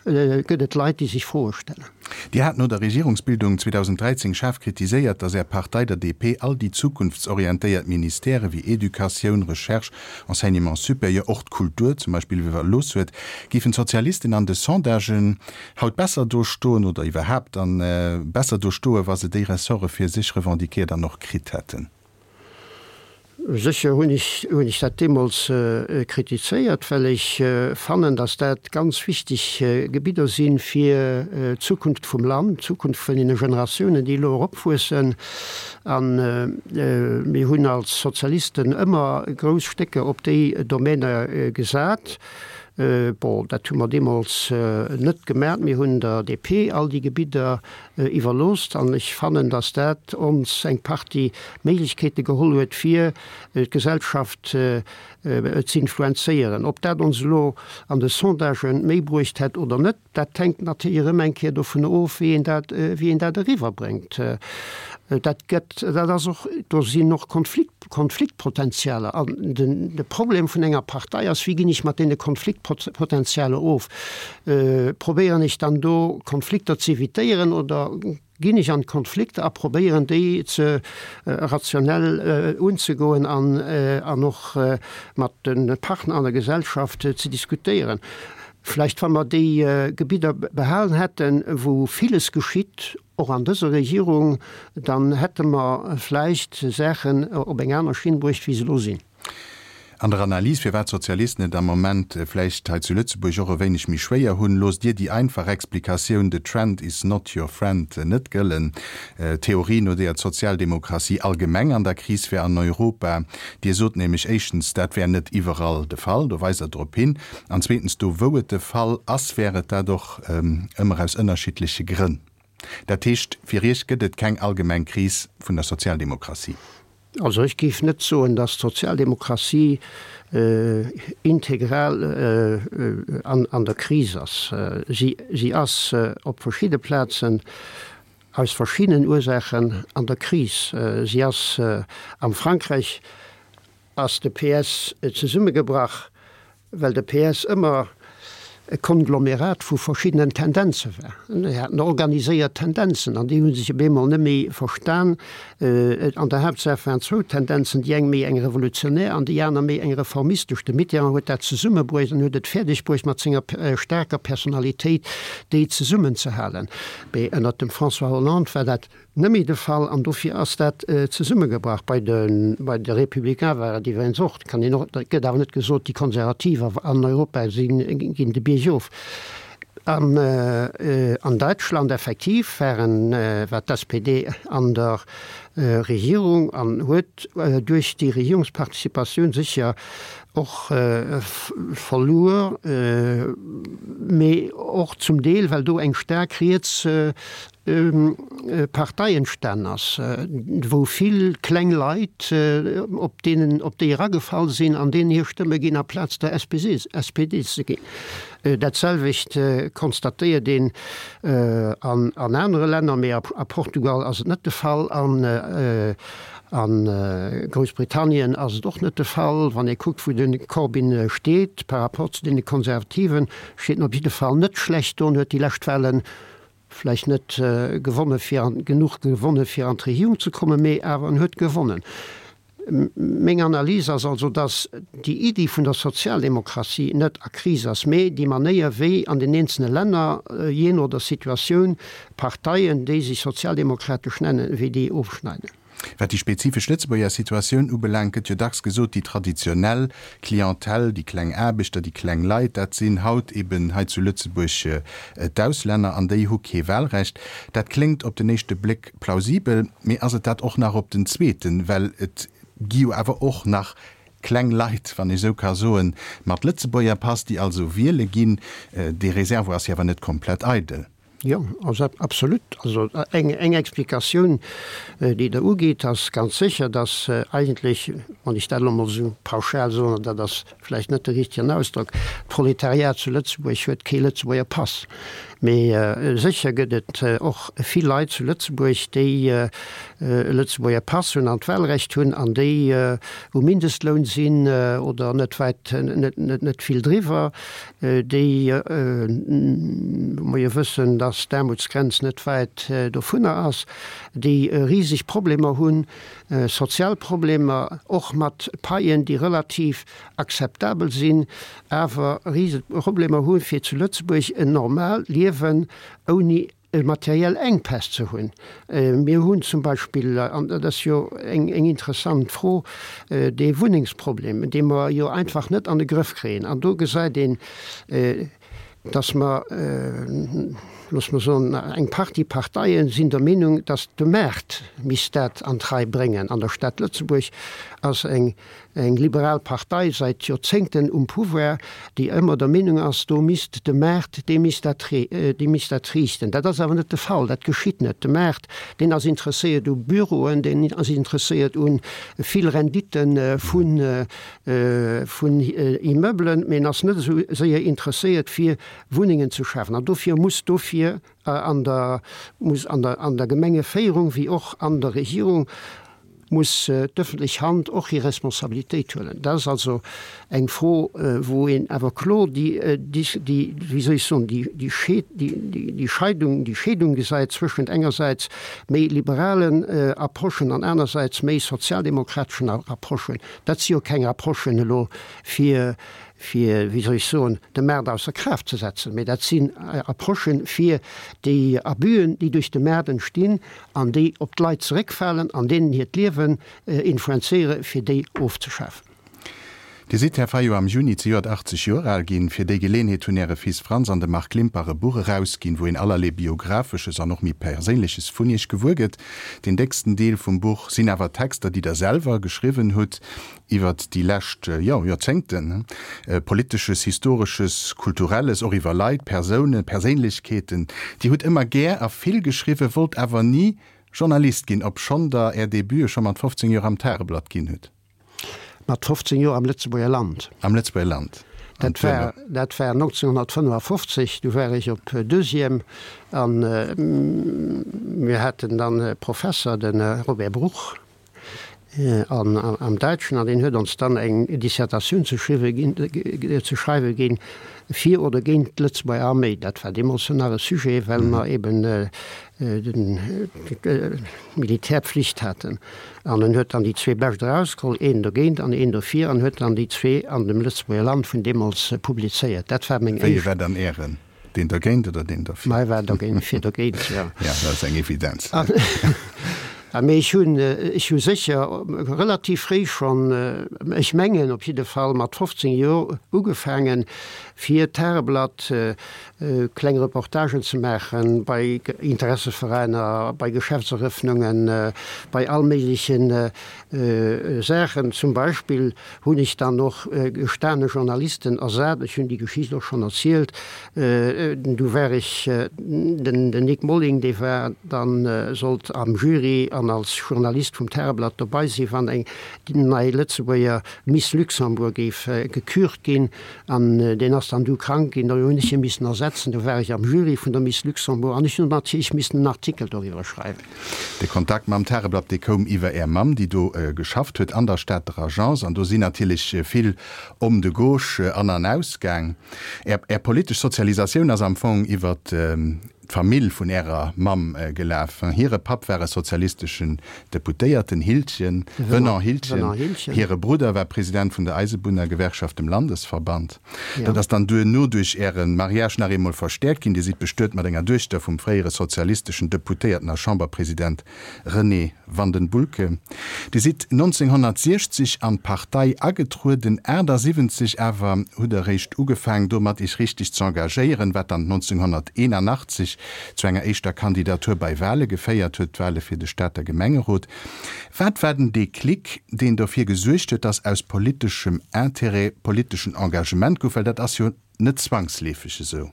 gëtt et Leit, déi sech Froe stellen. Dir hat no der Regierungsbildung 2013 schaarf kritiséiert, datt Är Partei der DP all déi zukunftsorientéiert Ministèrë wéi Educatioun, Recherche, Enseignement supérieur, och d'Kultur zum Beispill iwwerlooss huet. Géifen d'Sozialisten an de Sondagen haut besser do stoen oder iwwerhaapt dann besser do stoen, wa se déi Ressorte fir sech revendiquéiert an och kritt hätten? Sécher hunn ech, hunn ech dat deemools kritizéiert, well ech fannen, datt dat ganz wichteg Gebidder si fir d'Zukunft vum Land, d'Zukunft vun deene Generatiounen, déi elo eropwuessen. A mir hunn als Sozialisten ëmmer grouss Stécker op déi Domäner gesat. Bon, dat hu mer deemools net gemat. Mir hunn der DP all déi Gebidder iwwerloosst an ech fannen, dass dat ons eng Partie Méiglechkeete geholl huet, fir d'Gesellschaft ze influenzéieren. Ob dat ons elo an de Sondagë méi bruecht hätt oder net, dat hänkt natierlech erëm eng Kéier dovun of, wéi een dat, wéi een dat eriwwerbréngt. Dat gëtt, dat ass och, do sinn och Konflikt, Konfliktpotenzialer. An den, de Problem vun enger Partei ass, wéi ginn ech mat deene Konfliktpotenzialer of? Probéieren ech dann do Konflikter ze evitéieren oder ginn ech an d'Konflikter a probéieren déi ze rationell unzegoen an, an och mat de Partner an der Gesellschaft ze diskutéieren? Vläicht wa mer déi Gebidder behalen hätten, wou villes geschitt, och an dëser Regierung, dann hätte mer vläicht Saachen op eng aner Schinn bruecht, wéi se elo sinn. An der Analys, firwat d'Sozialisten et am Moment vläicht hei zu Lëtzebuerg och e wéineg méi schwéier hunn, loosst Dir déi einfach Explikatioun the trend is not your friend net gëllen. D'Theorie, no deeër d'Sozialdemokratie allgemeng an der Kris wär an Europa. Dir sot nämlech éischtens, dat wär net iwwerall de Fall, do weist Der drop hin, an zweetens, do wou et de Fall ass, wär et dat och ëmmer aus ënnerschiddleche Grënn. Dat heescht, fir Iech gëtt et keng allgemeng Kris vun der Sozialdemokratie? Also ech géif net soen, datt d'Sozialdemokratie integral an der Kris ass. Si ass op verschidde Plazen aus verschiddenen Ursaachen an der Kris. Si ass am Frankräich ass de PS zesummegebrach. Well de PS ëmmer e Konglomerat vu verschiddenen Tendenze war. Déi haten organiséiert Tendenzen an déi hu sech op eemol net méi verstan. An der Haaptsaach waren zwou Tendenzen, déi eng méi eng revolutionär an déi aner méi eng reformistesch. De Mitterrand huet dat zesummebruecht an huet et fäerdeg bruecht mat senger staarker Personalitéit déi zesummenzehalen. Mee ënnert dem François Hollande war dat Net méi de Fall an dofir ass dat zesummegebrach. Bei de bei de Républicains war et iwwregens och, kann een och, et gëtt awer net gesot, déi Konservativ an Europa sinn, ginn de Bierg of. An an Däitschland effektiv waren, war d'SPD an der Regierung an huet duerch déi Regierungsparticipatioun sécher och verluer, mee och zum Deel well do eng staark riets Partei entstan ass, wou vill kleng Leit op deenen, op déi eragefall sinn an deenen hir Stëmme ginn aplaz der SPD ze ginn. Dat selwecht konstatéiert een an anere Länner, mee a Portugal ass et net de Fall an a Groussbritannien ass et och net de Fall. Wann ee kuckt, wou de Corbyn steet par rapport zu deene Konservativen, steet en op jidde Fall net schlecht do an huet déi lescht Wahlen vläicht net gewonne fir an, genuch gewonne fir an d'Regierung ze kommen, mee awer en huet gewonnen. Meng Analys ass also, datt déi Iddi vun der Sozialdemokratie net a Kris ass, mee déi Manéier wéi an den eenzelne Länner, jee no der Situatioun, Parteien, déi sech sozialdemokratesch nennen, wéi déi ofschneiden. Wat déi spezifesch Lëtzebuerger Situatioun ubelaangt, gëtt jo dacks gesot, déi traditionell Clientèle, déi kleng Aarbechter, déi kleng Leit, dat sinn haut eben hei zu Lëtzebuerg d'Auslänner an déi hu kee Wahlrecht. Dat kléngt op den éischte Bléck plausibel, mee ass et dat och nach op den zweeten? Well et gi jo awer och nach kleng Leit, wann ech esou ka soen, mat Lëtzebuerger Pass, déi also wiele ginn. Dee Réservoir ass jo awer net komplett eidel. Jo, also absolut. Also eng Explikatioun, déi Der ugitt, ass ganz sécher, dass eigentlech, wann ech dat elo emol esou pauschal soen, an dat ass vläicht net de richtegen Ausdrock, d'Proletariat zu Lëtzebuerg huet kee Lëtzebuerger Pass. Mee sécher gëtt et och vill Leit zu Lëtzebuerg, déi e Lëtzebuerger Pass hunn an d'Wahlrecht hunn an déi um Mindestloun sinn oder net wäit, net vill driwwer. déi, wou mer jo wëssen, dass d'Aarmutsgrenz net wäit dovunner ass, déi riseg Problemer hunn, sozial Problemer, och mat Paien, déi relativ akzeptabel sinn, awer riseg Problemer hu fir zu Lëtzebuerg en normaalt Liewen ouni materiell Enkpäss ze hunn. Mir hunn zum Beispill, an dat ass jo eng interessant Fro, dee Wunnengsproblem, dee mer jo einfach net an de Grëff kréien. An do gesäit een, dass mer, loosse mer soen, eng Partie Parteie sinn der Meenung, dass de Maart misst dat an d'Rei bréngen. An der Stad Lëtzebuerg ass eng Eng liberal Partei säit Joerzéngten um Pouvoir, déi ëmmer der Meenung ass, do misst de Maart, dee misst dat, dee misst dat riichten. Dat ass awer net de Fall, dat geschitt net. De Maart, deen ass interesséiert u Büroen, deen ass interesséiert u vill Rendite vu vun Immeublen, mee en ass net esou séier interesséiert fir Wunnengen ze schafen. An dofir muss dofir an der, muss an der, an der Gemengeféierung wéi och an der Regierung muss d'ëffentlech Hand och hir Responsabilitéit huelen. Dat ass also eng Fro, wou een awer kloer déi, déi, wéi soll ech soen, déi déi Scheidung, déi Scheedung gesäit zwëschent engersäits méi liberalen Approchen an anersäits méi sozialdemokrateschen Approchen. Dat si jo keng Approchen elo fir, fir, wéi soll ech soen, de Maart ausser Kraaft ze setzen, mä dat sinn Approchen, fir déi Abüen, déi duerch de Maart entstinn, an déi op d'Leit zeréckfalen an deenen hiert Liewen influenzéiere fir déi ofzeschafen. Dir sidd, Här Fayot, am Juni zejoert 80 Joer al ginn. Fir déi Geleenheet hunn Äre Fils Franz an de Marc Limpach e Buch erausginn, wou een allerlee Biographesches an och méi Perséinleches vun Iech gewuer gëtt. Deen décksten Deel vum Buch sinn awer Texter, déi Der selwer geschriwwen hutt. Iwwert déi lescht, jo, Joerzéngten, Politesches, Historesches, Kulturelles, och iwwer Leit, Persounen, Perséinlechkeeten. Dir hutt ëmmer gär a vill geschriwwen, wollt awer ni Journalist ginn, obschonn Der Är Debute scho mat 15 Joer am Tageblatt ginn hutt. Mat 15 Joer am Lëtzebuerger Land. Am Lëtzebuerger Land. Dat war, dat war 1955, du war ech op Deuxième a mir haten dann e Professer, de Robert Bruch. An am Däitschen, an deen huet ons dann eng Dissertatioun ze schriwwe ginn, ze schreiwe ginn, fir oder géint d'Lëtzebuerger Arméi. Dat war deemools jo nach e Sujet, well mer eben d'Militärpflicht haten. An en huet dann déi zwee bescht erausgeholl, een dogéint an een dofir, an huet dann déi zwee an dem Lëtzebuerger Land vun deemools publizéiert. Dat war meng éischt. Wéi ee war dann Ären? Deen dergéint oder deen derfir? Mei war dogéint, fir dogéint, jo. Ja, dat ass eng Evidenz. Mee ech hunn, ech hu sécher relativ fréi schonn, ech mengen op jidde Fall mat 15 Joer ugefaangen, fir d'Tageblatt kleng Reportagen ze maachen bei Interesseveräiner, bei Geschäftserëffnungen, bei all méigleche Saachen. Zum Beispill hunn ech dann och gestane Journalisten ersat, ech hunn déi Geschicht och schonn erzielt, du war ech, den Nic Molling, dee war dann, sollt am Jury an als Journalist vum Tageblatt dobei sinn, wann eng nei Lëtzebuerger Miss Luxembourg géif gekürt ginn, an deen ass dann du krank ginn, do hunn ech hie missen ersetzen, du war ech am Jury vun der Miss Luxembourg an ech hunn natierlech missen en Artikel doriwwer schreiwen. De Kontakt mam Tageblatt, dee koum iwwer Är Mamm, déi do geschafft huet an der Stater Agence. An do sinn natierlech vill Hommes de gauche an an ausgaang. Är, Är politesch Sozialisatioun ass am Fong iwwer d'Famill vun Ärer Mamm gelaf. Hire Papp war e sozialisteschen Deputéierten, Hildgen, Renan Hildgen. Hire Brudder war President vun der Eisebunnergewerkschaft, dem Landesverband. Dat ass dann duerno duerch Äre Mariage nach eemol verstäerkt ginn. Dir sidd bestuet mat enger Duechter vum fréiere sozialisteschen Deputéierten a Chamberpresident René Vandenbulcke. Dir sidd 1960 an d'Partei agetrueden, 78 awer hutt Der eréischt ugefaang domat Iech richteg z'engagéieren, wat dann 1981 zu enger éischter Kandidatur bei Wale geféiert huet, d'Wale fir de Stater Gemengerot. Wat war den Déclic, deen dofir gesuergt huet, dass aus politeschem Intérêt politeschen Engagement gouf? Well dat ass jo net zwangsleefeg esou.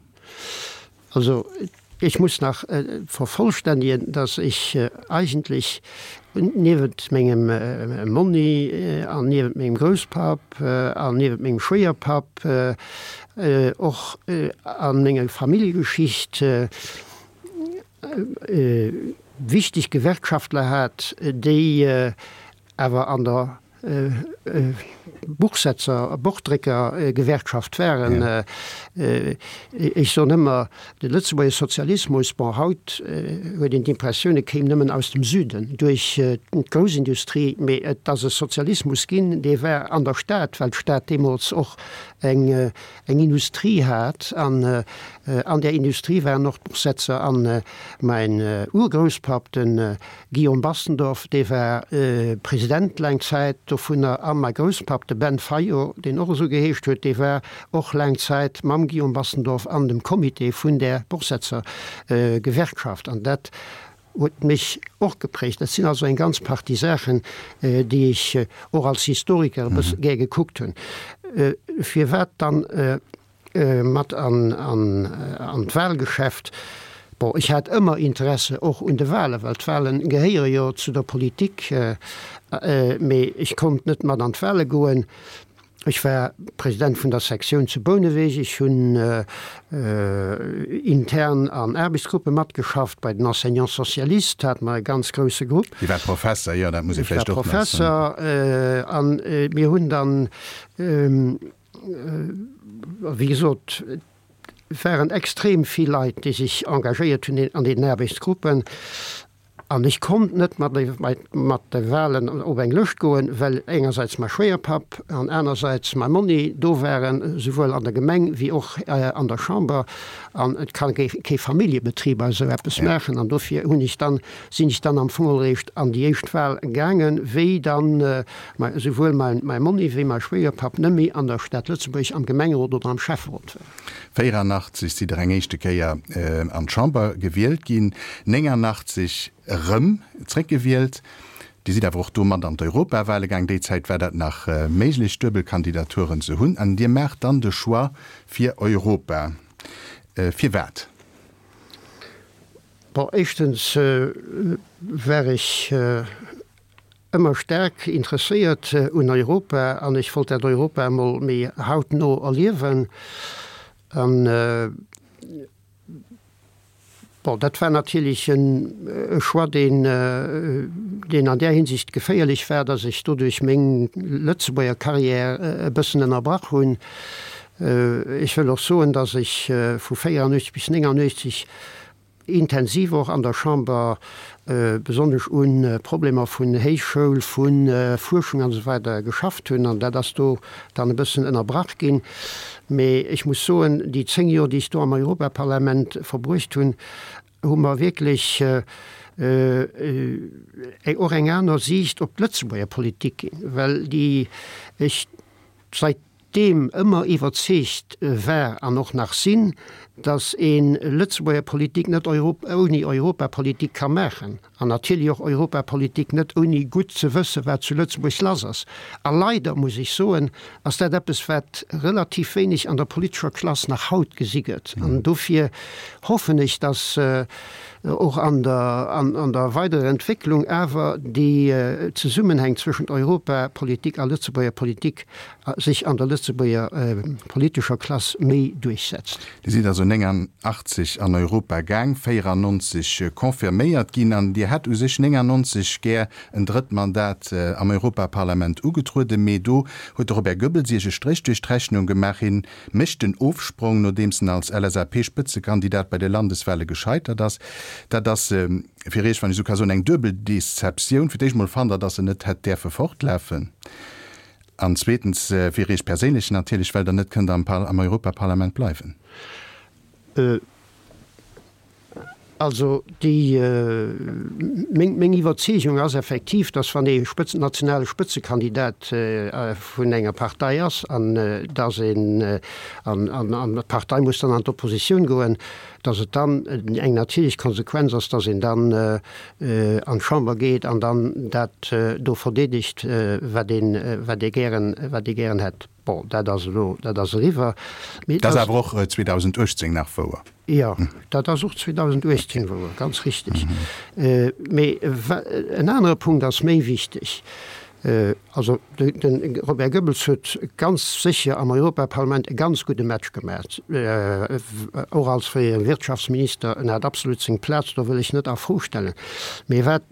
Also, ech muss nach vervollständigen, dass ech eigentlech niewent mengem Monni an niewent mengem Grousspapp an niewent mengem Schwéierpapp och a menger Familljegeschicht wichteg Gewerkschaftler hat, déi awer an der Buchsetzer, Bochdréckergewerkschaft waren. Ech soen ëmmer, de Lëtzebuerger Sozialismus, bon, haut huet een d'Impressioun, e kéim nëmmen aus dem Süden duerch d'Groussindustrie, mee et ass e Sozialismus ginn, dee war an der Stad, well d'Stad deemools och eng eng Industrie hat an an där Industrie waren och d'Buchsetzer an mäin Urgrousspapp, de Guillaume Bastendorf, dee war President laang Zäit dovunner a mäi Grousspapp, de Ben Fayot, deen och esou geheescht huet, dee war och laang Zäit mam Guillaume Bastendorf an dem Comité vun där Buchsetzergewerkschaft an dat Huet mech och geprägt. Dat sinn also eng ganz Partie Saachen, déi ech och als Historiker e bësse gär gekuckt hunn. Firwat dann mat an d'Wahlgeschäft? Bon, ech hat ëmmer Interesse och un de Wahlen, well d'Wahlen gehéiere jo zu der Politik, mee ech konnt net mat an d'Wahle goen. Ech war President vun der Sektioun zu Bouneweg. Ech hunn intern an Aarbechtsgruppe matgeschafft. Bei den Enseignants socialistes hate mer e ganz grousse Grupp. Dir waart Professer, jo, dat muss ee vläicht och nach soen. Ech war Professer an mir hunn dann, wéi gesot, et waren extrem vill Leit, déi sech engagéiert hunn an deenen Aarbechtsgruppen. An ech konnt net mat mat de Wahlen op eng Lëscht goen, well engersäits mäi Schwéierpapp an anersäits mäi Monni do waren, souwuel an der Gemeng wéi och an der Chamber. An et ka kee Familljebetrib esou eppes maachen. An dofir hunn ech dann, sinn ech dann am Fong eréischt an déi éischt Wahl gaangen, wéi dann souwuel mäi Monni wéi mäi Schwéierpapp net méi an der Stad Lëtzebuerg am Gemengerot oder am Schäfferot waren. 84 sidd Der eng éischte Kéier an d'Chamber gewielt ginn, 89 erëm zréckgewielt. Dir sidd awer och do mat an d'Europawale gaang. Déi Zäit war dat nach méiglech, Duebelkandidaturen ze hunn. An Dir maacht dann de Choix fir Europa. Firwat? Bon, éischtens war ech ëmmer staark interesséiert un Europa an ech wollt dat Europa emol méi hautno erliewen. An. Bon, dat war natierlech e Choix, deen, deen an där Hinsicht geféierlech war, datt ech doduerch meng Lëtzebuerger Carrière e bëssen ënnerbrach hunn. Ech wëll och soen, datt ech vu 84 bis 89 intensiv och an der Chamber besonnesch u Problemer vun Héichschoul, vu Fuerschung an esou weider geschafft hunn, an dat ass do dann e bëssen ënnerbrach ginn. Mee ech muss soen, déi 10 Joer, déi ech do am Europaparlament verbruecht hunn, hu mer wierklech och eng aner Siicht op d'Lëtzebuerger Politik ginn, well déi ech säitdeem ëmmer iwwerzeegt war an och nach sinn, datt ee Lëtzebuerger Politik net ouni Europapolitik ka maachen. An natierlech och Europapolitik net ouni gutt ze wëssen, wat zu Lëtzebuerg lass ass. A leider, muss ech soen, ass dat eppes, wat relativ wéineg an der politescher Klass nach haut gesi gëtt. An dofir hoffen ech, dass och an der, an der weiderer Entwécklung awer déi Zesummenhäng zwëschent Europapolitik a Lëtzebuerger Politik sech an der Lëtzebuerger politescher Klass méi duerchsetzt. Dir sidd also 89 an Europa gaang, 94 confirméiert ginn an Dir hätt u sech 99 gär en drëtt Mandat am Europaparlament ugetrueden, mee do huet de Robert Goebbels Iech e Stréch duerch d'Rechnung gemaach. Hien mécht den Ofsprong, nodeems en als LSAP-Spëtzekandidat bei de Landeswale gescheitert ass. Dat ass fir Iech, wann ech esou ka soen, eng duebel Deceptioun. Fir d'éischt mol fannt Der, datt en net hätt däerfe fortlafen. An zweetens fir Iech perséinlech natierlech, well Der net kënnt am am Europaparlament bleiwen. Also déi, meng, meng Iwwerzeegung ass effektiv, datt wann ee Spëtzen, nationale Spëtzekandidat vun enger Partei ass an datt een, an, an, an d'Partei muss dann an d'Oppositioun goen, datt et dann eng natierlech Konsequenz ass, datt een dann an d'Chamber geet an dann dat do verdeedegt, wat een, wat ee gären, wat ee gären hätt. Bon, dat ass elo, dat ass eriwwer. Mee et ass. Dat ass awer och 2018 nach wouer. Jo, dat ass och 2018 wouer, ganz richtig. Mee en anere Punkt ass méi wichteg. Also de Robert Goebbels huet ganz sécher am Europaparlament e ganz gudde Match gemaach, och als fréiere Wirtschaftsminister. En hat absolut seng Plaz, do wëll ech net a Fro stellen. Mee wat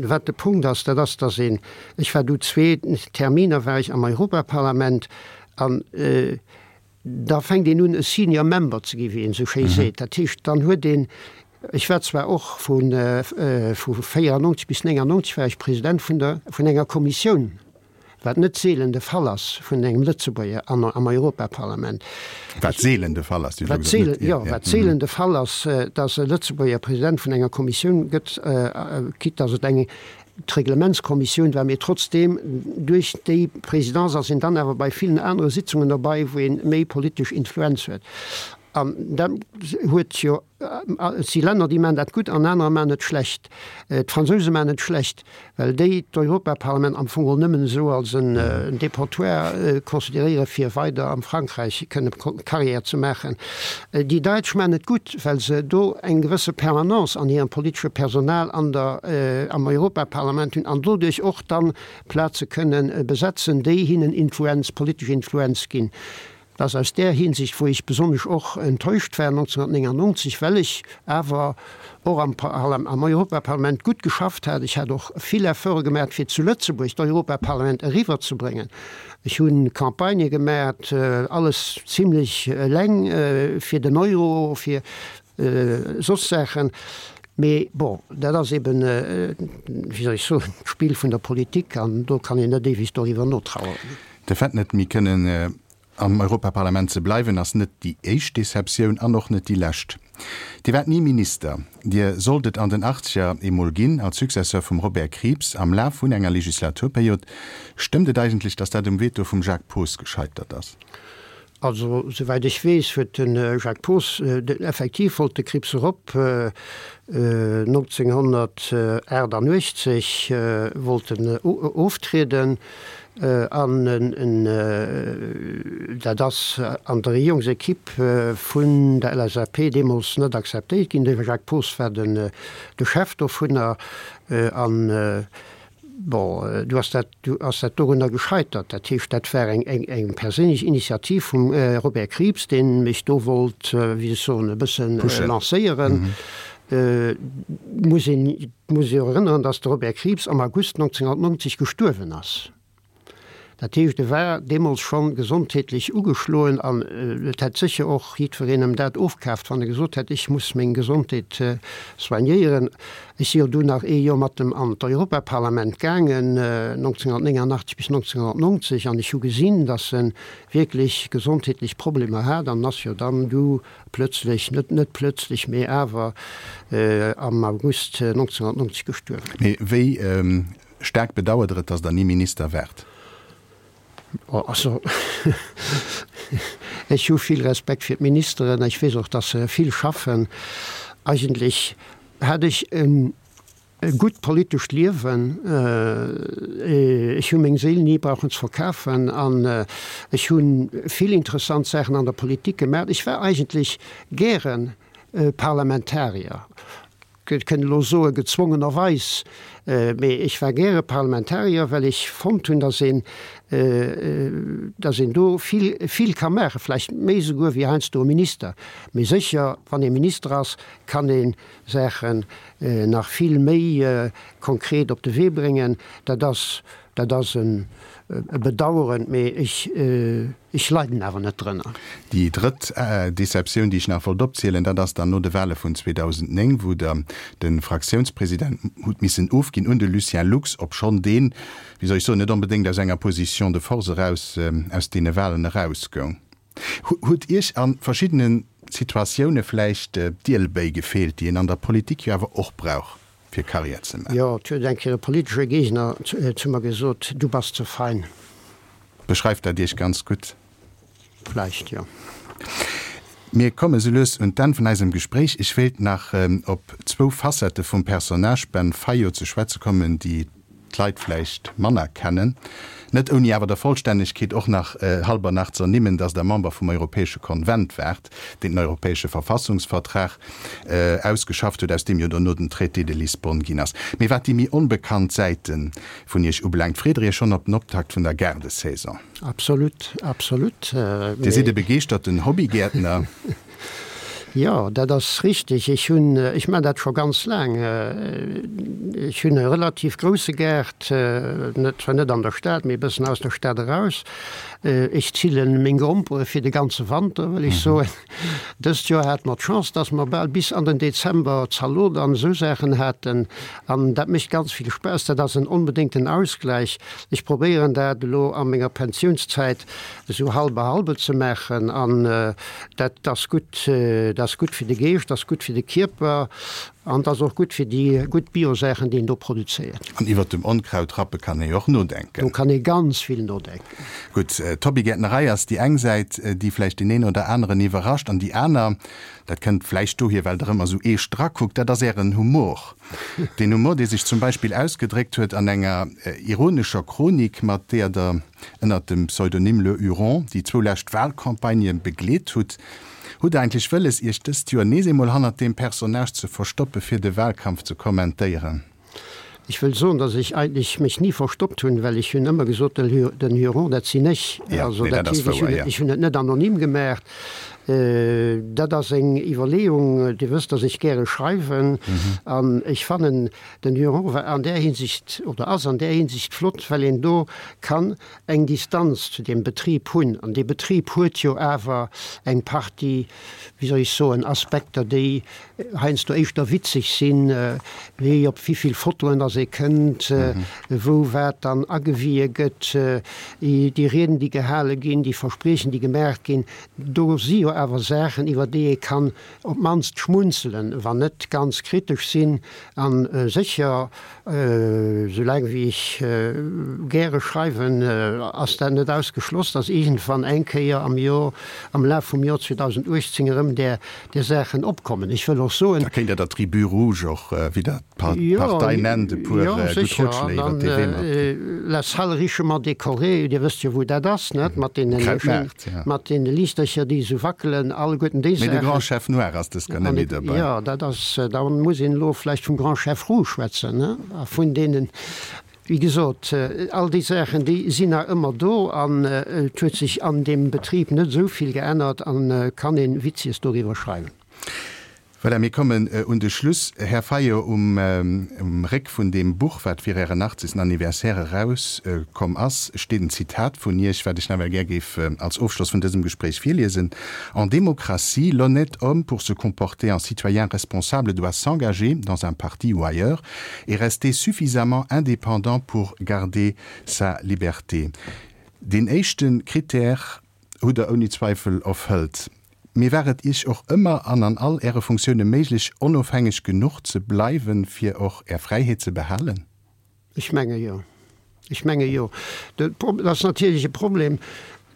wat de Punkt ass, dat ass, datt een, ech war du zwee Terminer war ech am Europaparlament an Da fänkt een un e Senior Member ze gi wéi een esou schéi seet. Dat heescht, dann huet een, ech war zwar och vu vu 94 bis 99 war ech President vun der vun enger Kommissioun, wat net seelen de Fall ass vun engem Lëtzebuerger an am Europaparlament. Wat seelen de Fall ass, Dir hutt elo gesot, net, jo, wat seelen de Fall ass, datt e Lëtzebuerger President vun enger Kommissioun gëtt, quitte datt et eng D'Reglementskommissioun war, mee trotzdeem, duerch déi Présidence ass een dann awer bei villen anere Sitzungen derbei, wou ee méi politesch Influenz huet. An dat huet jo, et si Länner, déi maachen dat gutt an anerer maachen et schlecht. D'Fransouse maachen et schlecht, well déi d'Europaparlament am Fong geholl nëmmen esou als en Dépotoir consideréiere fir weider am Frankräich kënne Carrière ze maachen. Déi Daitsch maachen et gutt, well se do eng gewësse Permanence an hirem politesche Personal an der, am Europaparlament hunn an doduerch och dann Plaze kënnen besetzen, déi hinnen Influenz, politesch Influenz ginn. Et ass aus där Hinsicht, wou ech besonnesch och enttäuscht war 1999, well ech awer och am, am Europaparlament gutt geschafft hat. Ech hat och vill Efforte gemaach, fir zu Lëtzebuerg d'Europaparlament eriwwerzebréngen. Ech hu Campagnë gemaat, alles zimlech eleng, fir den Euro, fir soss Saachen. Mee bon, dat ass eben, wéi soll ech soen, d'Spill vun der Politik an do kann een net éiweg doriwwer notraueren. De Fait, net méi kënnen am Europaparlament ze bleiwen, ass net déi éischt Deceptioun an och net déi lescht. Dir waart ni Minister. Dir sollt et an den Achtzeger eemol ginn, als Successeur vum Robert Krieps am Laf vun enger Legislaturperiod. Stëmmt et eigentlech, datt dat um Veto vum Jacques Poos gescheitert ass? Also, souwäit ech weess, huet de Jacques Poos, effektiv wollt de Krieps erop, 1988 wollt en oftrieden, An dat ass an der Regierungsequipe vun der LSAP deemools net akzeptéiert ginn. De Jacques Poos war de Chef dovunner. An, bon, du ass dat, du ass dat dorunner gescheitert. Dat heescht, dat war eng perséinlech Initiativ vum Robert Krieps, dee mech do wollt, wéi soll ech soen, e bësse lancéieren. Muss een muss jo erënneren, datt de Robert Krieps am August 1990 gestuerwen ass. Dat heescht, e war deemools schonn gesondheetlech ugeschloen an et hätt sécher och jiddwereen em dat ofkaaft, wann e gesot hätt, ech muss meng Gesondheet soignéieren. Ech si jo dunn nach ee Joer mat em an d'Europaparlament gaangen, 1989 bis 1990, an ech hu gesinn, datt e wierklech gesondheetlech Problemer hat an ass jo dann du plötzlech, net net plötzlech, mee awer am August 1990 gestuerwen. Mee wéi Staark bedauert Der et, datt Der ni Minister waart? Also, ech hu vill Respekt fir d'Ministeren. Ech weess och, datt se vill schaffen. Eigentlech hat ech e gutt politescht Liewen. Ech hu meng Séil ni brauchen ze verkafen an ech hu vill interessant Saachen an der Politik gemaach. Ech war eigentlech gäre Parlamentarier. Ech kënnt elo soe gezwongenerweis, mee ech war gäre Parlamentarier, well ech fonnt hunn, datt een, datt een do vill, vill ka maachen, vläicht méi esouguer wéi heiansdo e Minister. Mee sécher, wann ee Minister ass, kann ee Saachen nach vill méi konkret op de Wee bréngen. Dat ass, dat ass e Bedauern, mee ech, Ech leiden awer net drënner. Déi drëtt Deceptioun, déi ech nach wollt opzielen, dat ass dann no de Wahle vun 2009, wou Der de Fraktiounspresident hutt missen ofginn un de Lucien Lux, obschonn deen, wéi soll ech soen, net onbedéngt aus enger Position de force eraus aus deene Wahlen erausgoung. Huet Iech a verschiddene Situatioune vläicht d'Ielbéi gefeelt, déi een an der Politik jo awer och brauch, fir Karriär ze maachen? Jo, et huet eng Kéier e politesche Géigner zu mer gesot, Du bass ze fein. Beschreift dat Iech ganz gutt? Vläicht, jo. Mir komme sou lues un d'Enn vun eisem Gespréich. Ech wéilt nach op zwou Facettë vum Personnage Ben Fayot ze schwätze kommen, déi d'Leit vläicht manner kennen. Net ouni awer der Vollstännegkeet och nach halber nach z'ernimmen, datt Der Member vum Europäesche Konvent waart, deen den Europäesche Verfassungsvertrag ausgeschafft huet, aus deem jo dono den Traité de Lisbonne ginn ass. Mee wat déi méi onbekannt Säite vun Iech ubelaangt, freet Der Iech schonn op den Optakt vun der Gaardesaison? Absolut, absolut. Dir sidd e begeeschterten Hobbygäertner. Jo, dat ass richteg. Ech hunn, ech maachen dat scho ganz laang. Ech hunn e relativ grousse Gaart, net, zwar net an der Stad, mee e bëssen aus der Stad eraus. Ech zillen meng Grompere fir de ganze Wanter, wëll ech soen. Dëst Joer hate mer d'Chance, dass mer bal bis an den Dezember Zalot an esou Saachen haten. An dat mécht ganz vill Spaass. Dat ass en onbedéngten Ausgläich. Ech probéieren dat elo a menger Pensiounszäit esou halbe halbe ze maachen. An dat ass gutt. Dat ass gutt fir de Geescht, dat ass gutt fir de Kierper an dat ass och gutt fir déi gutt Bio-Saachen, déi een do produzéiert. An iwwert dem Onkraut rappe kann ee jo och nodenken. Do kann ee ganz vill nodenken. Gutt, d'Hobbygäertnerei ass déi eng Säit, déi vläicht deen een oder aneren iwwerrascht. An déi aner, dat kënnt vläicht dohier, well Der ëmmer esou eescht drakuckt, dat ass Ären Humor. Deen Humor, dee sech zum Beispill ausgedréckt huet an enger ironescher Chronik, mat deeër Der ënnert dem Pseudonym Le Huron déi zwou lescht Wahlcampagnë begleet hutt. Hutt Der eigentlech wëlles, Iech dëst Joer nees eemol hannert deem Personnage ze verstoppe fir de Wahlkampf ze kommentéieren? Ech wëll soen, datt ech eigentlech mech ni verstoppt hunn, well ech hunn ëmmer gesot, den Huron, dat sinn ech. Ja, Also nee, dat dat ass heescht, ech wouer, hunn, ja. ech hunn et net anonym gemaacht. Dat ass eng Iwwerleeung. Dir wësst, datt ech gäre schreiwen an ech fannen, den Huron war an där Hinsicht oder ass an där Hinsicht flott, well een do kann eng Distanz zu deem Betrib hunn. An dee Betrib huet jo awer eng Partie, wéi soll ech soen, Aspekter, déi heiansdo éischter witzeg sinn, wéi op wéivill Fotoen dass ee kënnt, wou wat dann agewie gëtt, déi Rieden, déi gehale ginn, déi Verspriechen, déi gemaach ginn. Do si jo awer Saachen, iwwer déi ee kann op d'mannst schmunzelen, wann net ganz kritesch sinn. A sécher, Soulaang wéi ech gäre schreiwen, ass dat net ausgeschloss, datt iergendwann eng Kéier am Jor, am Laf vum Jor 2018 erëm där Saachen opkommen. Ech wëll och soen. Da kéint Der der Tribu Rouge och, wéi Der d'Partei nennt, e puer gutt Rotschléi iwwer dee Wee matginn. La salle richement décorée, Dir wësst jo wou dat ass, net? Mat deene mat deene Liichtercher, déi esou wackelen, alleguerten déi Saachen. Mee de Grand Chef Noir ass dës Kéier net méi derbäi. Jo, dat ass, da muss een elo vläicht vum Grand Chef Rouge schwätzen, ne? A vun deenen, wéi gesot, all déi Saachen, déi sinn nach ëmmer do an et huet sech an deem Betrib net esou vill geännert an kann ee Witzies doriwwer schreiwen. Voilà, mir kommen un de Schluss. Här Fayot, um Réck vun deem Buch, wat fir Ären 80. Anniversaire erauskomm ass, steet en Zitat vun Iech, wat ech nawell gär géif als Ofschloss vun dësem Gespréich virliesen, En démocratie, l'honnête homme, pour se comporter en citoyen responsable, doit s'engager, dans un parti ou ailleurs, et rester suffisamment indépendant pour garder sa liberté. Deen éischte Critère hutt Der ouni Zweifel erfëllt. Mee war et Iech och ëmmer an an all Äre Funktioune méiglech, onofhängeg genuch ze bleiwen, fir och Är Fräiheet ze behalen? Ech menge jo. Ech menge jo. Dat ass natierlech e Problem,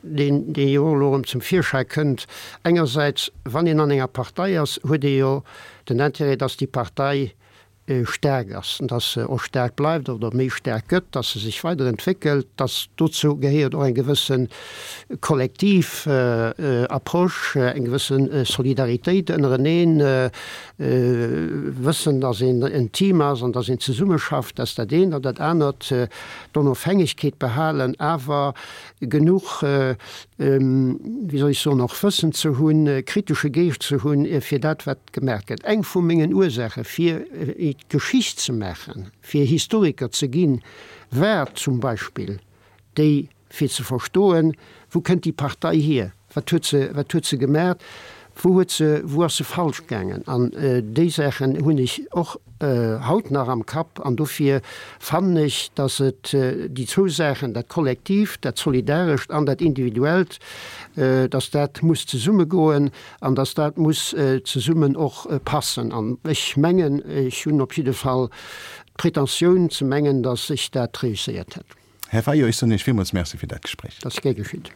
deen, dee jo och elo erëm zum Virschäi kënnt. Engersäits, wann een an enger Partei ass, huet ee jo den Intérêt, dass déi Partei staark ass, dass se och staark bleift oder méi staark gëtt, dass se sech weiderentwéckelt, dass dozou gehéiert och eng gewësse kollektiv Approche, eng gewësse Solidaritéit ënnereneen, wëssen, dass een en Team ass an dass een zesummeschafft, dat ass dat eent. An dat anert, d'Onofhängegkeet behalen, awer genuch, wéi soll ech soen, och Wëssen ze hunn, kritesche Geescht ze hunn fir dat, wat Gemaach gëtt. Eng vu mengen Ursaache fir Geschicht ze maachen, fir Historiker ze ginn, war zum Beispill déi fir ze verstoen, wou kënnt déi Partei hier, wat huet se, wat huet se gemaach, wou huet se, wou ass se falsch gaangen. An déi Saachen hunn ech och haut nach am Kapp an dofir fannen ech, datt et déi zwou Saachen, dat Kollektiivt, dat Solidarescht an dat Individuellt, datt dat muss zesummegoen. An dass dat muss zesummen och passen. An ech mengen, ech hunn op jidde Fall d'Pretentioun ze mengen, dass ech dat réusséiert hätt. Här Fayot, ech soen Iech villmools Merci fir dat Gespréich. Dat ass gär geschitt.